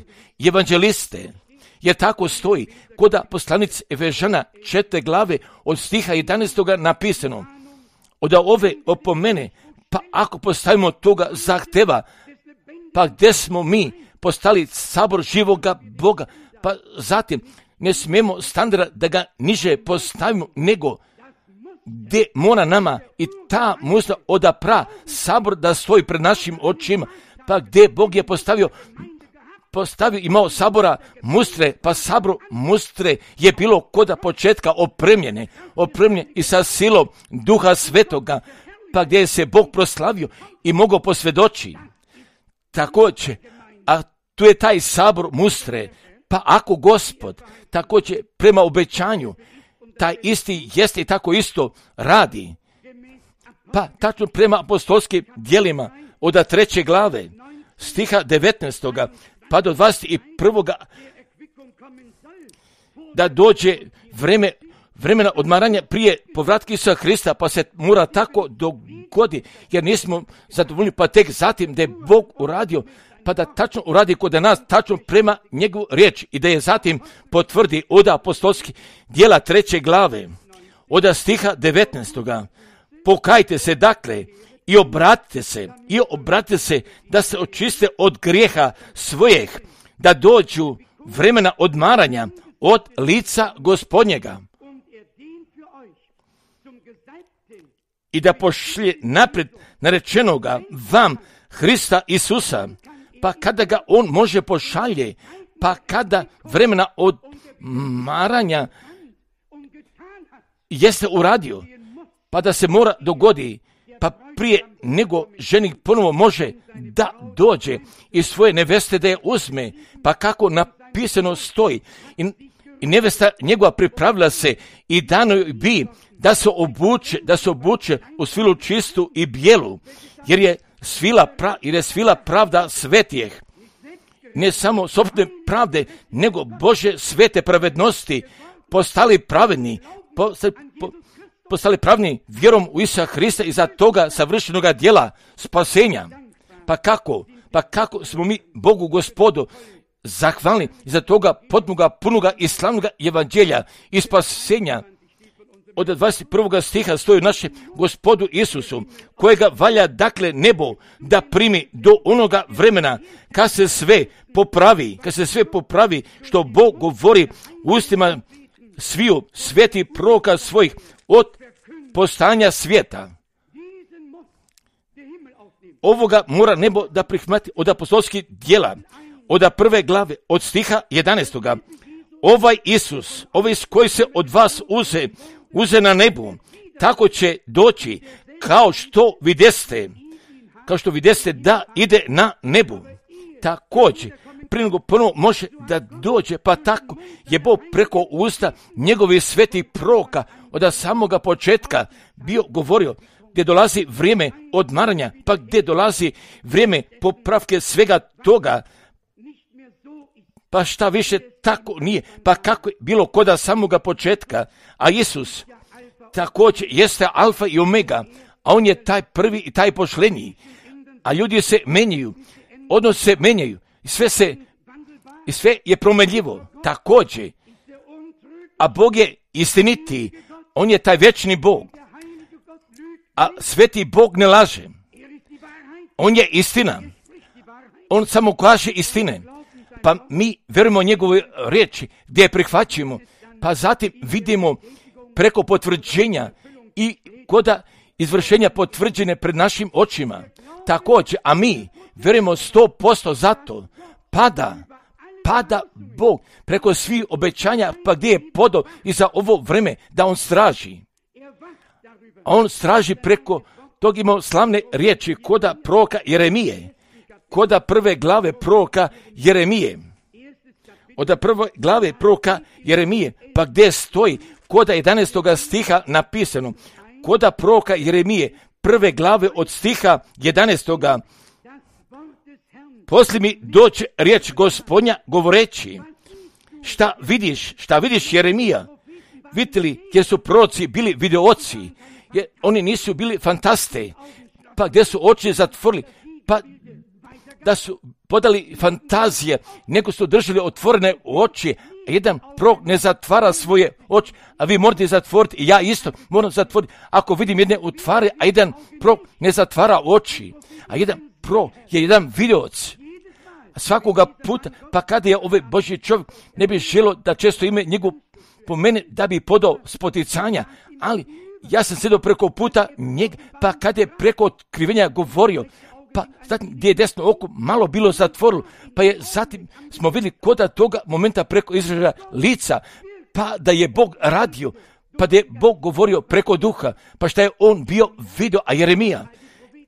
evanđeliste, jer tako stoji kod poslanice Efežana 4. glave od stiha 11. napisano. Od ove opomene, pa ako postavimo toga zahteva, pa gdje smo mi postali sabor živoga Boga, pa zatim ne smijemo standarda da ga niže postavimo, nego gdje mora nama i ta musla odapra sabor da stoji pred našim očima, pa gdje Bog je postavio imao sabora mustre, pa sabor mustre je bilo kod početka opremljene i sa silom Duha Svetoga, pa gdje se Bog proslavio i mogao posvjedoči. Također, a tu je taj sabor mustre, pa ako Gospod također prema obećanju taj isti jeste i tako isto radi, pa tačno prema apostolskim djelima od 3. glave stiha 19. pa do 21. da dođe vremena odmaranja prije povratka Isusa Hrista, pa se mora tako dogodi, jer nismo zadovoljni, pa tek zatim da je Bog uradio, pa da tačno uradi kod nas, tačno prema njegovu riječ i da je zatim potvrdi od apostolskih djela 3. glave, od stiha 19. Pokajte se dakle i obratite se da se očiste od grijeha svojih, da dođu vremena odmaranja od lica Gospodnjega i da pošlje naprijed narečenoga vam Hrista Isusa, pa kada ga on može pošalje, pa kada vremena odmaranja jeste uradio, pa da se mora dogodi, pa prije nego ženik ponovo može da dođe i svoje neveste da je uzme, pa kako napisano stoji, i nevesta njegova pripravila se i dano joj bi da se obuče u svilu čistu i bijelu, jer je svila pravda svetijeh. Ne samo sopstvene pravde, nego Bože svete pravednosti, postali pravedni, postali pravni vjerom u Isusa Hrista i za toga savršenoga djela spasenja. Pa kako smo mi Bogu Gospodu zahvalni za toga potpunoga, punoga i slavnoga evanđelja i spasenja. Od 21. stiha stoji naše Gospodu Isusu, kojega valja dakle nebo da primi do onoga vremena kad se sve popravi što Bog govori u ustima sviju sveti proroka svojih od postajanja svijeta. Ovoga mora nebo da prihvati od apostolskih djela, od 1. glave, od stiha 11. Ovaj Isus koji se od vas uze na nebu, tako će doći kao što videste da ide na nebu. Također, prije nego ponovo može da dođe, pa tako je Bog preko usta njegovih svetih proroka od samoga početka bio govorio, gdje dolazi vrijeme odmaranja, pa gdje dolazi vrijeme popravke svega toga, pa šta više tako nije, pa kako je bilo koda samoga početka, a Isus također jeste alfa i omega, a on je taj prvi i taj pošleniji, a ljudi se menjaju, odnos se menjaju, i sve je promenljivo, također, a Bog je istiniti, on je taj vječni Bog, a sveti Bog ne laže, on je istina, on samo kaže istine, pa mi vjerujemo njegove riječi gdje je prihvaćujemo, pa zatim vidimo preko potvrđenja i koda izvršenja potvrđene pred našim očima. Također, a mi vjerujemo 100% zato, pada Bog preko svih obećanja, pa gdje je podao i za ovo vreme da on straži. A on straži preko tog imao slavne riječi koda proroka Jeremije, koda prve glave proroka Jeremije. Od prve glave proroka Jeremije, pa gdje stoji koda 11. stiha napisano, koda proroka Jeremije, prve glave od stiha 11. Poslije mi doće riječ Gospodnja govoreći, šta vidiš Jeremija? Vidite li, jer su proroci bili videoci, jer oni nisu bili fantaste, pa gdje su oči zatvorili, pa da su podali fantazije, nego su držali otvorene oči, a jedan prorok ne zatvara svoje oči, a vi morate zatvoriti, i ja isto moram zatvoriti, ako vidim jedne utvare, a jedan prorok ne zatvara oči, a jedan prorok je jedan videoc. Svakoga puta, pa kada je ovaj Božji čovjek ne bi želio da često ime njegov po mene da bi podao spoticanja, ali ja sam sjedio preko puta njega, pa kada je preko otkrivenja govorio, pa zatim gdje je desno oko malo bilo zatvorilo, pa je zatim smo vidjeli koda toga momenta preko izražaja lica, pa da je Bog radio, pa da je Bog govorio preko duha, pa šta je on bio vidio, a Jeremija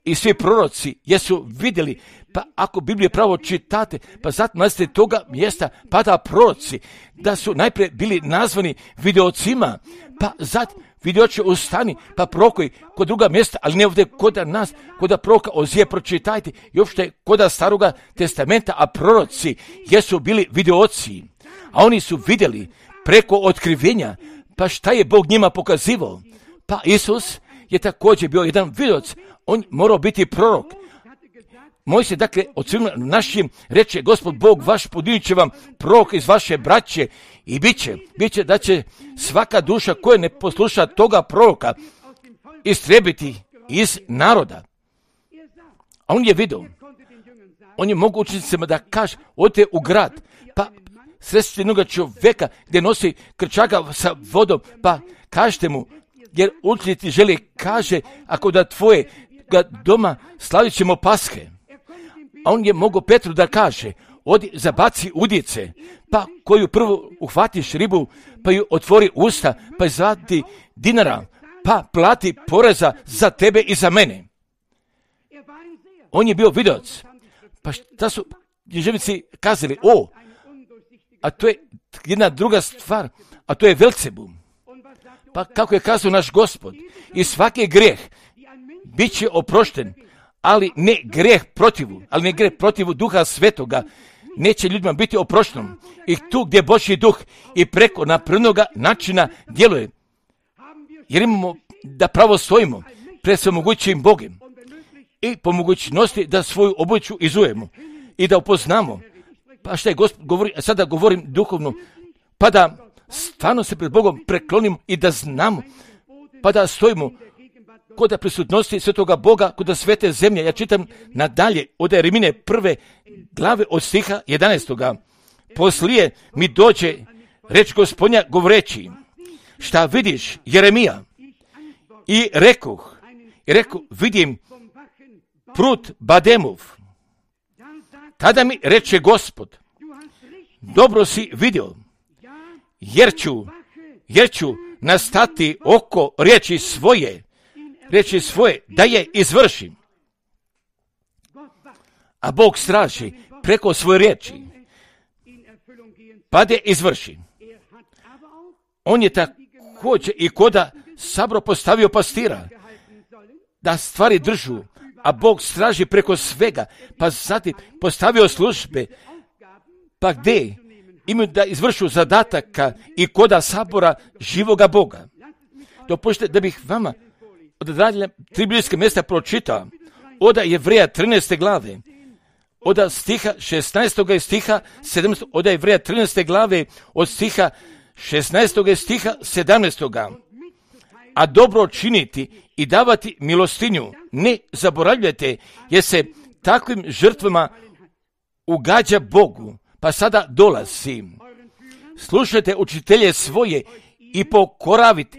i svi proroci jesu vidjeli, pa ako Biblije pravo čitate, pa zatim nalazite toga mjesta, pa da proroci, da su najprije bili nazvani videocima, pa zatim videoće ustani, pa prorokovi kod druga mjesta, ali ne ovdje koda nas, koda proroka Ozije pročitajte, i uopšte koda Staroga testamenta, a proroci jesu bili videoci, a oni su vidjeli preko otkrivenja, pa šta je Bog njima pokazivao? Pa Isus je također bio jedan videoc, on morao biti prorok. Mojsije, dakle, od svima našim reče, Gospod Bog vaš podinit će vam prorok iz vaše braće i bit će da će svaka duša koja ne posluša toga proroka istrebiti iz naroda. A on je vidio, on je mogu učenicima da kaže, odite u grad, pa sresti jednoga čovjeka gdje nosi krčaga sa vodom, pa kažete mu, jer učenici žele, kaže, ako da tvoje doma slavit ćemo Pashe. A on je mogao Petru da kaže, odi zabaci udice, pa koju prvo uhvatiš ribu, pa ju otvori usta, pa izvadi dinara, pa plati poreza za tebe i za mene. On je bio videoc. Pa šta su književnici kazali? A to je jedna druga stvar, a to je Velcebul. Pa kako je kazao naš Gospod, i svaki grijeh bit će oprošten, ali ne grijeh protivu Duha Svetoga neće ljudima biti oprošten. I tu gdje Božji duh i preko napravljenoga načina djeluje, jer imamo da pravo stojimo pred svemogućim Bogom i po mogućnosti da svoju obuću izujemo i da upoznamo. Pa šta je Gospod govori, sada govorim duhovno, pa da stvarno se pred Bogom preklonimo i da znamo, pa da stojimo kod prisutnosti svetoga Boga, kod svete zemlje. Ja čitam nadalje od Jeremine prve glave od stiha 11. Poslije mi dođe reč Gospodnja govoreći, šta vidiš Jeremija? I rekoh, vidim prut Bademov. Tada mi reče Gospod, dobro si vidio, jer ću nastati oko riječi svoje da je izvršim. A Bog straži preko svoje riječi, pa da je izvrši. On je također i koda sabro postavio pastira, da stvari držu, a Bog straži preko svega, pa zatim postavio službe, pa gdje imaju da izvršu zadataka i koda sabora živoga Boga. Dopustite da bih vama od 3 biblijske mjesta pročitao, od Jevreja 13. glave, od stiha 16. i stiha 17. od Jevreja 13. glave, od stiha 16. i stiha 17. A dobro činiti i davati milostinju ne zaboravljajte, jer se takvim žrtvama ugađa Bogu. Pa sada dolazi. Slušajte učitelje svoje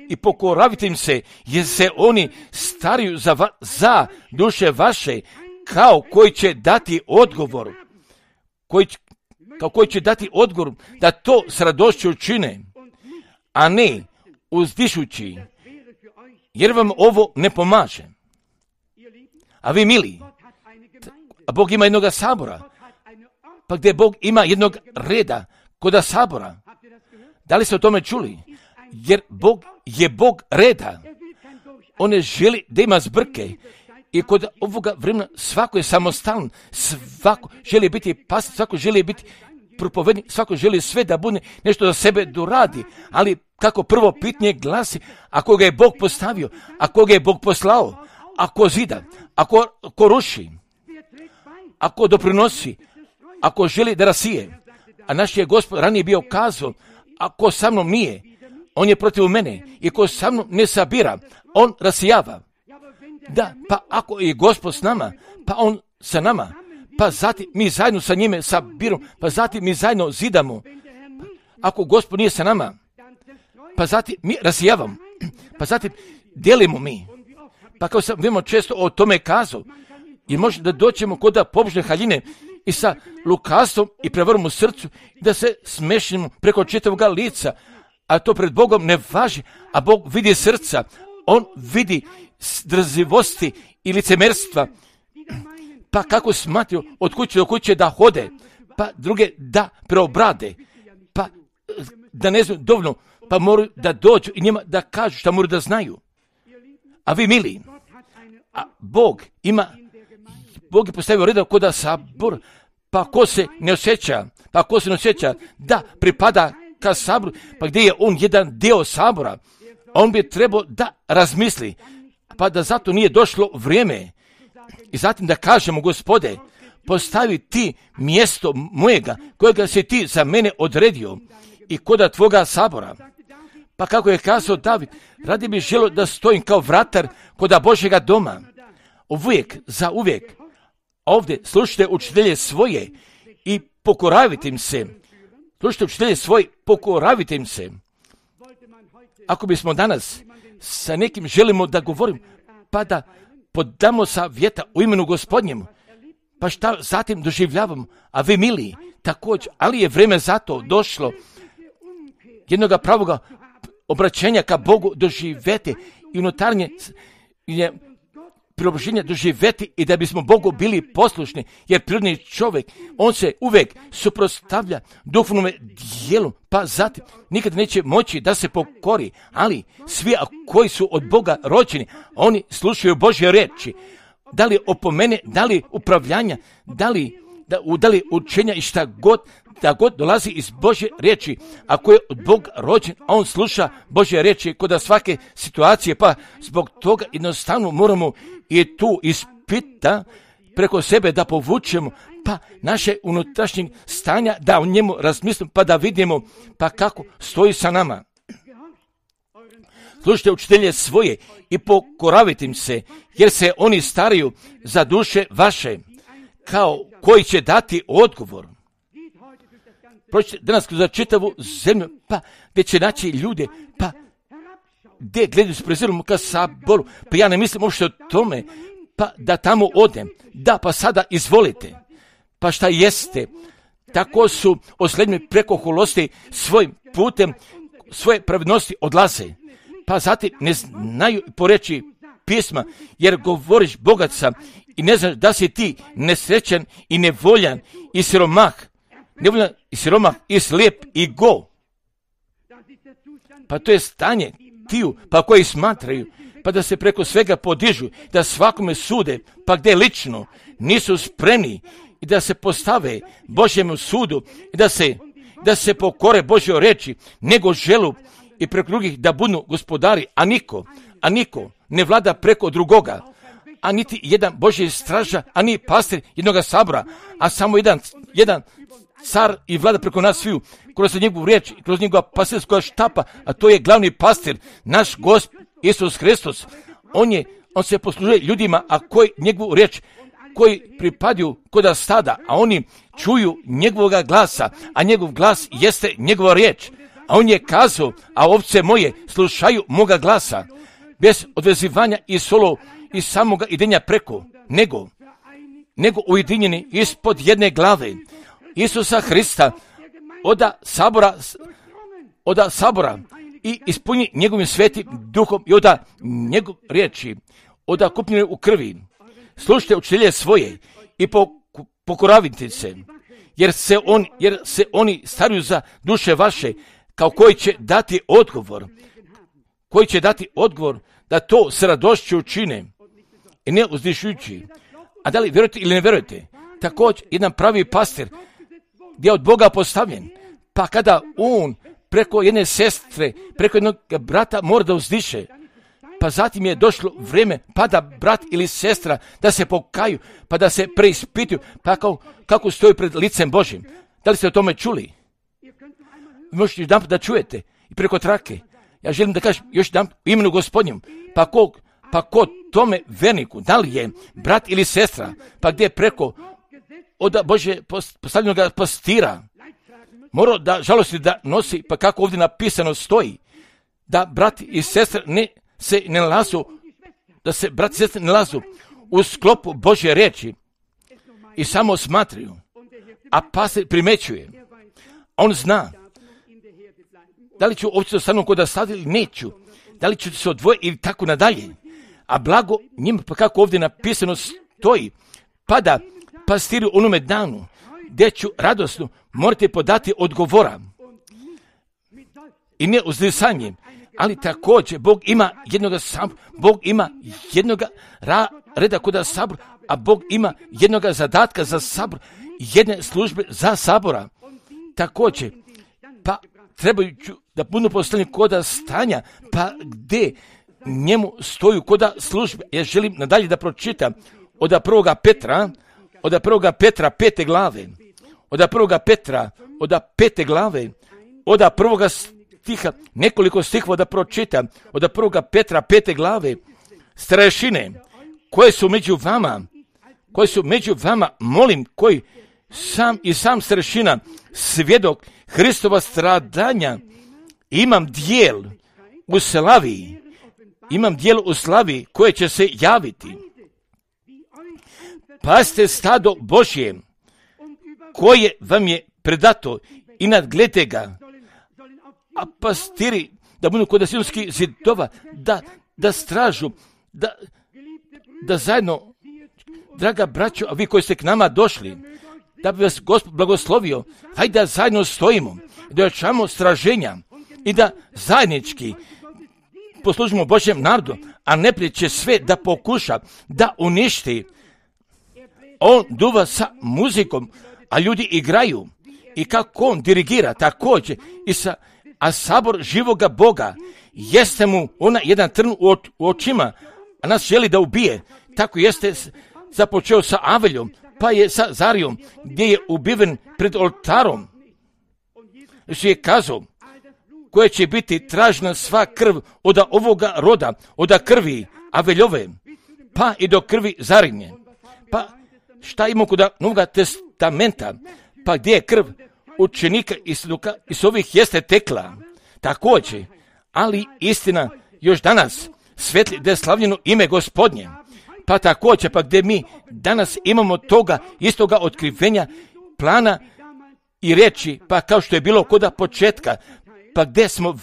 i pokoravite im se, jer se oni stariju za duše vaše, kao koji će dati odgovor, koji će dati odgovor da to s radošću čine, a ne uzdišući, jer vam ovo ne pomaže. A vi mili, a Bog ima jednoga sabora, pa gdje Bog ima jednog reda koda sabora. Da li ste o tome čuli? Jer Bog je Bog reda. On ne želi da ima zbrke. I kod ovoga vremena svako je samostalan, svako želi biti pastor, svako želi biti propovednik, svako želi sve da bude nešto za sebe doradi. Ali kako prvo pitanje glasi, ako ga je Bog postavio, ako ga je Bog poslao, ako zida, ako ruši, ako doprinosi, ako želi da rasije. A naš je Gospod ranije bio kazao, ako sa mnom nije, on je protiv mene. I ko sa mnom ne sabira, on rasijava. Da, pa ako je Gospod s nama, pa on sa nama, pa zatim mi zajedno sa njime sabirom, pa zatim mi zajedno zidamo. Ako Gospod nije sa nama, pa zatim mi rasijavamo, pa zatim dijelimo mi. Pa kao sam vemo često o tome kazao, i može da doćemo kod da pobožne haljine i sa lukavstvom i prevarom u srcu, da se smešimo preko čitavoga lica, a to pred Bogom ne važi, a Bog vidi srca, on vidi drzivosti i licemerstva, pa kako smatraju od kuće do kuće da hode, pa druge da preobrade, pa da ne znaju dovoljno, pa moraju da dođu i njima da kažu šta moraju da znaju. A vi mili, a Bog je postavio reda koda sabor, pa ko se ne osjeća da pripada ka saboru, pa gdje je on jedan dio sabora, on bi trebao da razmisli, pa da zato nije došlo vrijeme. I zatim da kažemo, Gospode, postavi ti mjesto mojega, kojega si ti za mene odredio i koda tvoga sabora. Pa kako je kazao David, radi bi želio da stojim kao vratar koda Božjega doma. Uvijek, za uvijek. Ovdje slušajte učitelje svoje i pokoravite im se. Slušajte učitelje svoje, pokoravite im se. Ako bismo danas sa nekim želimo da govorim, pa da podamo savjeta u imenu Gospodnjemu, pa šta zatim doživljavamo, a vi mili, također, ali je vrijeme za to došlo jednoga pravoga obraćenja ka Bogu doživjeti i unutarnje je preobraženje doživjeti i da bismo Bogu bili poslušni, jer prirodni čovjek, on se uvijek suprotstavlja duhovnome dijelu, pa zatim nikad neće moći da se pokori, ali svi koji su od Boga rođeni, oni slušaju Božje riječi, da li opomene, da li upravljanja, da li učenja i šta god, da god dolazi iz Božje riječi. Ako je od Boga rođen, a on sluša Božje riječi kod svake situacije, pa zbog toga jednostavno moramo i tu ispita preko sebe da povučemo, pa naše unutrašnjeg stanja, da o njemu razmislimo, pa da vidimo pa kako stoji sa nama. Slušajte učitelje svoje i pokoravite im se, jer se oni staraju za duše vaše, kao koji će dati odgovor. Prođite danas za čitavu zemlju, pa gdje će naći ljude, pa gdje gledaju s prezirom ka saboru, pa ja ne mislim uopšte o tome, pa da tamo odem, da pa sada izvolite, pa šta jeste, tako su oslednji preko holosti svojim putem, svoje pravednosti odlaze, pa zatim ne znaju poreći pisma, jer govoriš bogat sam i ne znaš da si ti nesrećan i nevoljan i siromah, nevoljan i siromah i slijep i go. Pa to je stanje tiju, pa koji smatraju, pa da se preko svega podižu, da svakome sude, pa gdje lično nisu spremni i da se postave Božjemu sudu i da se pokore Božjoj reči, nego želu i preko drugih da budu gospodari, a niko ne vlada preko drugoga, a niti jedan Božji straža, a ni pastir jednoga sabora, a samo jedan car i vlada preko nas sviju, kroz njegovu riječ i kroz njegova pastirskoga štapa, a to je glavni pastir, naš Gospod Isus Hristos. On se poslužuje ljudima, a koji njegovu riječ, koji pripadaju koda stada, a oni čuju njegovoga glasa, a njegov glas jeste njegova riječ. A on je kazao, a ovce moje slušaju moga glasa, bez odvezivanja i solo i samoga idenja preko, nego ujedinjeni ispod jedne glave. Isusa Hrista oda sabora i ispuni njegovim svetim duhom i oda njegov riječi, oda kupljene u krvi. Slušajte učitelje svoje i pokoravite se, jer se oni staruju za duše vaše, kao koji će dati odgovor da to s radošću učine i ne uzdišujući. A da li vjerujete ili ne vjerujete? Također, jedan pravi pastir gdje je od Boga postavljen, pa kada on preko jedne sestre, preko jednog brata mora da uzdiše, pa zatim je došlo vrijeme pa da brat ili sestra da se pokaju, pa da se preispituju, pa kako stoji pred licem Božim. Da li ste o tome čuli? Možete jedan da čujete i preko trake. Ja želim da kažem još jedan u imenu Gospodnjem, pa ko tome verniku, da li je brat ili sestra, pa gdje je preko od Bože postavljenog pastira, mora da žalosti da nosi, pa kako ovdje napisano stoji, da brat i sestra da se brat i sestra ne lazu u sklopu Božje riječi i samo smatraju, a pastir primećuje. On zna da li ću ovdje ostanu kod stadi ili neću, da li ću se odvojiti ili tako nadalje. A blago njima, pa kako ovdje napisano stoji, pa da pastiri u onome danu, gdje ću radosno morate podati odgovora i ne uzdisanjem, ali također Bog ima jednoga reda kod sabor, a Bog ima jednoga zadatka za sabor, jedne službe za sabora. Također, pa trebajući da budu postavljeni koda stanja, pa gdje njemu stoju koda službe. Ja želim nadalje da pročitam od prvoga Petra 5. glave, od prvoga stiha, nekoliko stihova da pročitam, od prvoga Petra 5. glave, starešine koje su među vama, molim, koji sam starešina, svjedok Hristova stradanja, imam dijel u slavi koje će se javiti. Pazite stado Božje koje vam je predato i nadgledajte ga, a pastiri da budu kod Sionskih zidova, da stražu, da zajedno, draga braćo, a vi koji ste k nama došli, da bi vas Gospod blagoslovio, hajde da zajedno stojimo, da ojačamo straženja i da zajednički poslužimo Božjem narodu, a neprijatelj će sve da pokuša da uništi. On duva sa muzikom, a ljudi igraju, i kako on dirigira također a sabor živoga Boga jeste mu ona jedan trn u očima, a nas želi da ubije. Tako jeste započeo sa Aveljom, pa je sa Zarijom, gdje je ubiven pred oltarom. Što je kazao, koje će biti tražna sva krv od ovoga roda, od krvi Aveljove, pa i do krvi Zarinje. Pa šta imamo kod Novoga testamenta, pa gdje je krv učenika i s ovih jeste tekla. Također, ali istina još danas svetli da je slavljeno ime Gospodnje. Pa također, pa gdje mi danas imamo toga istoga otkrivenja, plana i riječi, pa kao što je bilo koda početka, pa gdje smo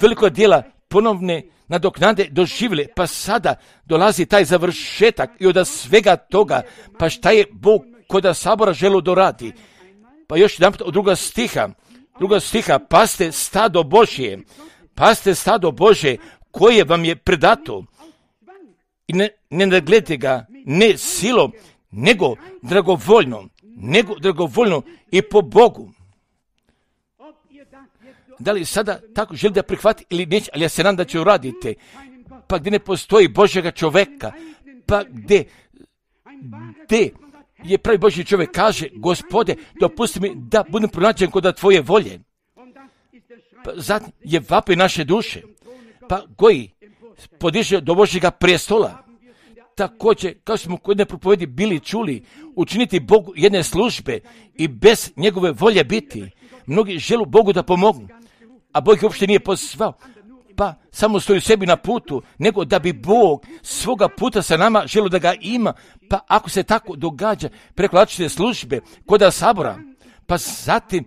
veliko dijela ponovne nadoknade doživjeli, pa sada dolazi taj završetak i od svega toga, pa šta je Bog koda sabora želio dorati. Pa još jedan od druga stiha, paste stado Božje koje vam je predato i ne nagledajte ga ne silom, nego dragovoljno i po Bogu. Da li sada tako želi da prihvati ili neće, ali ja se nadam da će uraditi. Pa gdje ne postoji Božjega čovjeka, pa gdje je pravi Božji čovjek kaže, Gospode, dopusti mi da budem pronađen kod tvoje volje. Pa zatim je vapaj naše duše, pa koji podiže do Božjega prijestola. Također, kao smo kod jedne propovedi bili čuli, učiniti Bogu jedne službe i bez njegove volje biti. Mnogi žele Bogu da pomognu, a Bog ih uopšte nije pozvao. pa samo stoji sebi na putu, nego da bi Bog svoga puta sa nama želio da ga ima. Pa ako se tako događa preko različite službe, koda sabora, pa zatim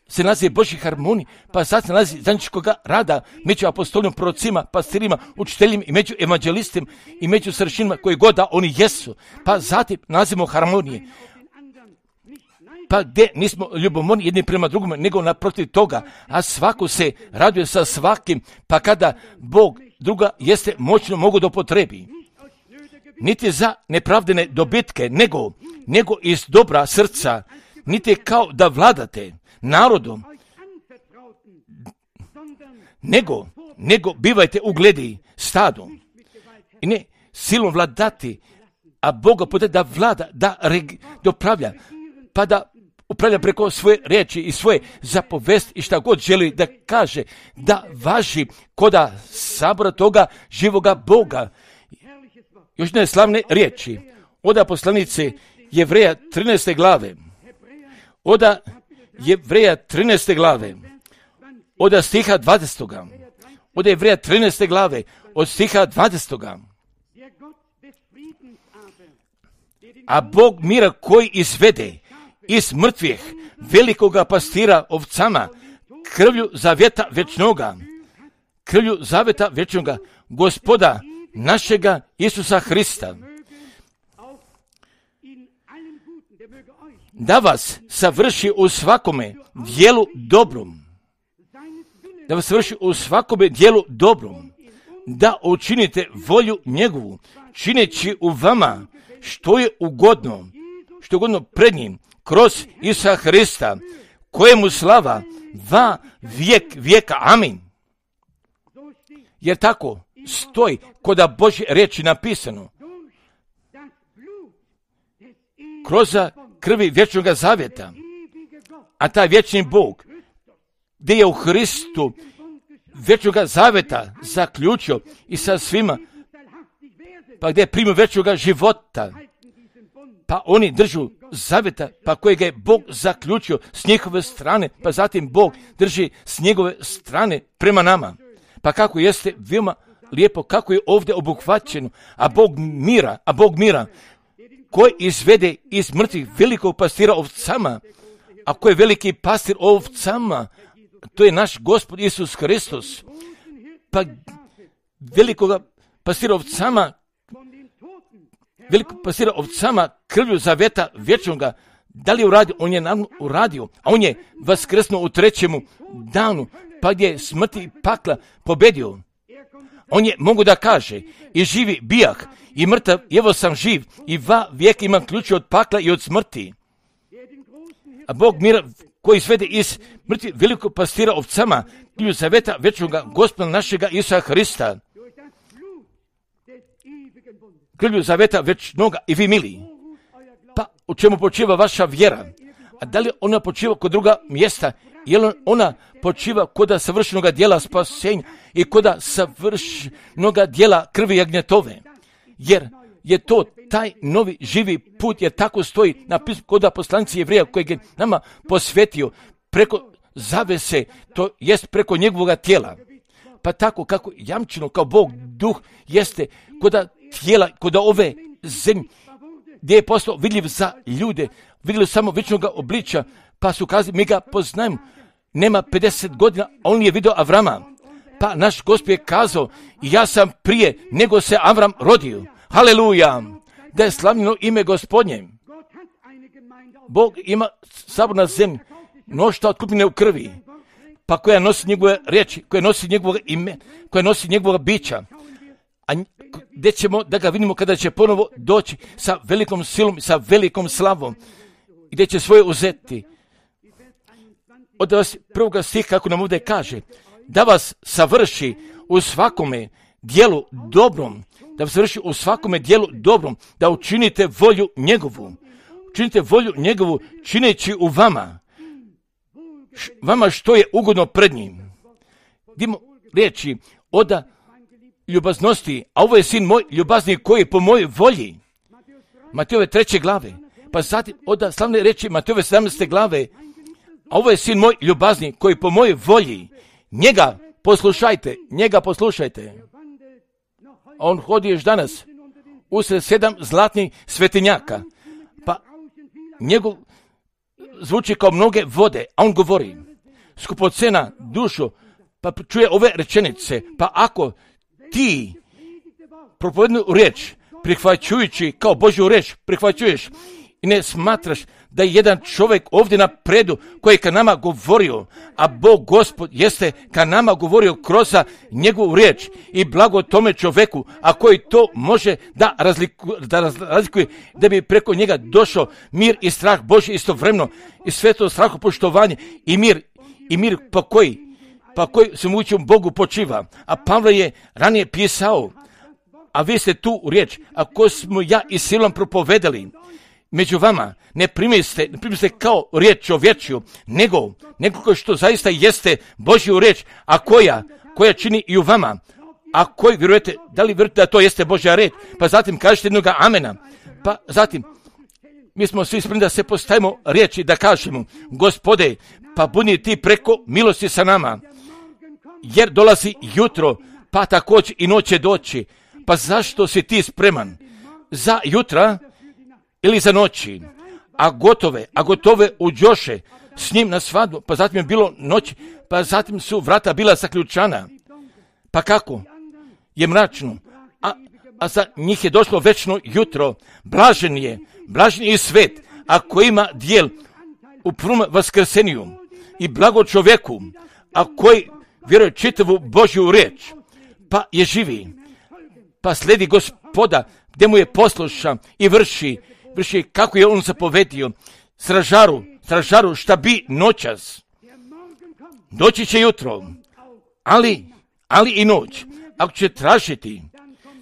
se nalazi Božji harmonij, pa sad se nalazi zajedničkog rada među apostolima, prorocima, pastirima, učiteljima i među evanđelistima i među starešinama koji god da oni jesu. Pa zatim nalazimo harmonije. Pa gdje nismo ljubomorni jedni prema drugome, nego naprotiv toga, a svako se raduje sa svakim, pa kada Bog druga jeste moćno mogu da upotrebi. Niti za nepravdene dobitke, nego iz dobra srca, niti kao da vladate narodom, nego bivajte ugledi stadom i ne silom vladati, a Boga puta da vlada, da upravlja, pa da upravlja preko svoje riječi i svoje zapovesti i šta god želi da kaže, da važi koda sabora toga živoga Boga. Još jedne slavne riječi, oda poslanice Jevreja 13. glave, oda Jevreja 13. glave, oda stiha 20. Oda Jevreja 13. glave, od stiha 20. A Bog mira koji izvede iz mrtvih velikoga pastira ovcama, krvlju zaveta vječnoga, Gospoda našega Isusa Hrista, da vas savrši u svakome dijelu dobrom, da učinite volju njegovu, čineći u vama što je ugodno pred njim, kroz Isusa Hrista, kojemu slava va vijek vijeka. Amin. Jer tako stoji koda Božje riječi napisano. Kroz krvi vječnog zavjeta, a taj vječni Bog, gdje je u Hristu vječnog zavjeta zaključio i sa svima, pa gdje je primio vječnog života, pa oni držu zavjeta, pa kojeg je Bog zaključio s njihove strane, pa zatim Bog drži s njegove strane prema nama. Pa kako jeste veoma lijepo, kako je ovdje obuhvaćeno, a Bog mira, koji izvede iz mrtvih velikog pastira ovcama, a koji je veliki pastir ovcama, to je naš Gospod Isus Hristos. Pa velikog pastira ovcama krvlju zaveta vječnoga, da li je uradio? On je uradio, a on je vaskrsnuo u 3. danu, pa gdje je smrti i pakla pobedio. On je mogu da kaže, i živi bijah, i mrtav, evo sam živ, i va vijek imam ključ od pakla i od smrti. A Bog mira koji svede iz mrtvi velikog pastira ovcama, krvlju zaveta vječnoga, Gospoda našega Isusa Hrista, krvlju zaveta vječnoga i vi mili. Pa u čemu počiva vaša vjera? A da li ona počiva kod druga mjesta? Je li ona počiva koda savršenoga dijela spasenja i koda savršenoga dijela krvi jagnjetove? Jer je to taj novi živi put, jer tako stoji napisano koda poslanici Jevreja kojeg je nama posvetio preko zavese, to jest preko njegovog tijela. Pa tako kako jamčeno kao Bog duh jeste koda tijela, koda ove zemlje, gdje je postao vidljiv za ljude, vidjeli samo vječnog obličja, pa su kazali, mi ga poznajemo, nema 50 godina, a on je vidio Avrama. Pa naš Gospod je kazao, ja sam prije nego se Avram rodio. Haleluja! Da je slavljeno ime Gospodnje. Bog ima sabor na zemlji, mnoštvo otkupljene u krvi, pa koja nosi njegove riječi, koja nosi njegovog ime, koja nosi njegovog bića. A gdje ćemo da ga vidimo kada će ponovo doći sa velikom silom, sa velikom slavom, gdje će svoje uzeti. Od vas prvoga stiha, kako nam ovdje kaže, da vas savrši u svakome dijelu dobrom, da učinite volju njegovu. Učinite volju njegovu, čineći u vama što je ugodno pred njim. Dimo riječi oda ljubaznosti, a ovo je sin moj ljubazni koji je po mojoj volji. Matejove 3. glave, pa zatim oda slavne riječi Matejove 17. glave, a ovo je sin moj ljubazni koji po mojoj volji, njega poslušajte, njega poslušajte. On hodi još danas usred 7 zlatnih svetinjaka, pa njegov zvuči kao mnoge vode, a on govori, skupocena dušo, pa čuje ove rečenice, pa ako ti propovednu riječ prihvaćujući kao Božju riječ prihvaćuješ i ne smatraš da je jedan čovjek ovdje na predu koji je ka nama govorio, a Bog Gospod jeste ka nama govorio kroz njegovu riječ i blago tome čovjeku, a koji to može da razlikuje, da bi preko njega došao mir i strah Božji istovremeno i sve to strahopoštovanje i mir po koji svemogućem Bogu počiva. A Pavle je ranije pisao, a vi ste tu riječ, ako smo ja i silom propovedali među vama, ne primiste kao riječ čovječju, nego što zaista jeste Božju riječ, a koja čini i u vama. A koji vjerujete, da li vjerujete da to jeste Božja riječ? Pa zatim kažete jednoga amena. Pa zatim, mi smo svi spremni da se postavimo riječi, da kažemo, Gospode, pa budi ti preko milosti sa nama, jer dolazi jutro, pa također i noć će doći. Pa zašto si ti spreman za jutra ili za noći, a gotove uđoše s njim na svadbu, pa zatim je bilo noć, pa zatim su vrata bila zaključana. Pa kako? Je mračno, a za njih je došlo večno jutro. Blažen je i svet, a koji ima dijel u prvom vaskrseniju i blago čovjeku, a koji vjeruje čitavu Božju riječ, pa je živi, pa slijedi Gospoda, gdje mu je poslušan i vrši kako je on zapovedio. Stražaru šta bi noćas. Doći će jutro, ali i noć. Ako će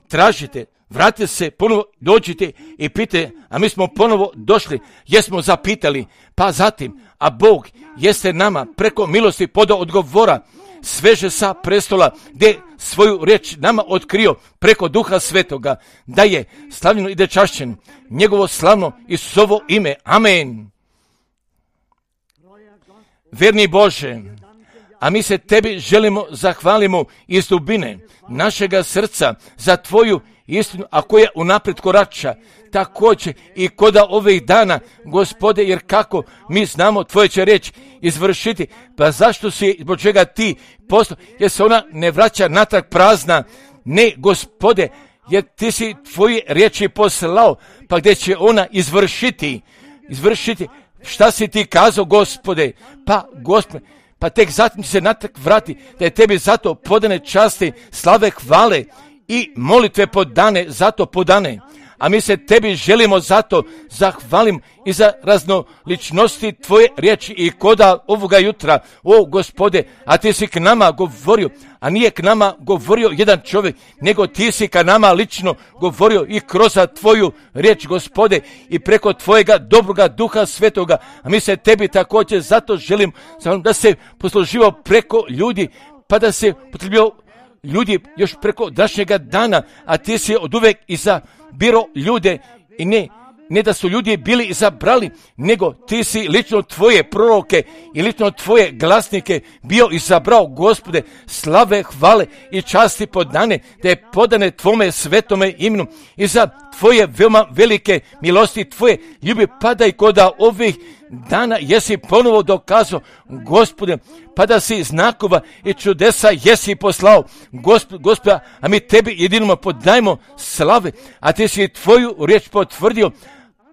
tražite, vratite se, ponovo dođite i pitajte, a mi smo ponovo došli, jesmo zapitali, pa zatim, a Bog jeste nama preko milosti podao odgovora, sveže sa prestola, gdje svoju riječ nama otkrio preko Duha Svetoga, da je slavljeno i da je čašćen njegovo slavno Isusovo ime. Amen. Verni Bože, a mi se tebi želimo zahvalimo iz dubine našega srca za tvoju istinu, a koja unaprijed korača, također i koda ovih dana, Gospode, jer kako mi znamo tvoje će riječ izvršiti, pa zašto si, zbog čega ti postao, jer se ona ne vraća natrag prazna, ne, Gospode, jer ti si tvoje riječi poslao, pa gdje će ona izvršiti, šta si ti kazao, Gospode, pa tek zatim se natrag vrati, da je tebi zato podane časti, slave, hvale i molitve zato podane. A mi se tebi želimo zato zahvalim i za raznoličnosti tvoje riječi i koda ovoga jutra, o Gospode, a ti si k nama govorio, a nije k nama govorio jedan čovjek, nego ti si ka nama lično govorio i kroz tvoju riječ, Gospode, i preko tvojega dobroga Duha Svetoga, a mi se tebi također zato želim da se posluživao preko ljudi, pa da se potrebio ljudi još preko današnjega dana, a ti si od uvek izabiro ljude i ne da su ljudi bili izabrali, nego ti si lično tvoje proroke i lično tvoje glasnike bio izabrao, Gospode, slave, hvale i časti podane, da je podane tvome svetome imenu i za tvoje veoma velike milosti, tvoje ljubi padaj koda ovih dana jesi ponovo dokazao, Gospode, pa da si znakova i čudesa jesi poslao, Gospoda, a mi tebi jedinoma podajmo slave, a ti si tvoju riječ potvrdio,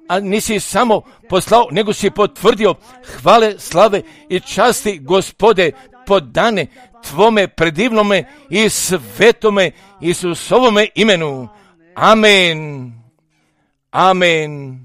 a nisi samo poslao, nego si potvrdio, hvale, slave i časti, Gospode, podane tvome predivnome i svetome Isusovome imenu. Amen. Amen.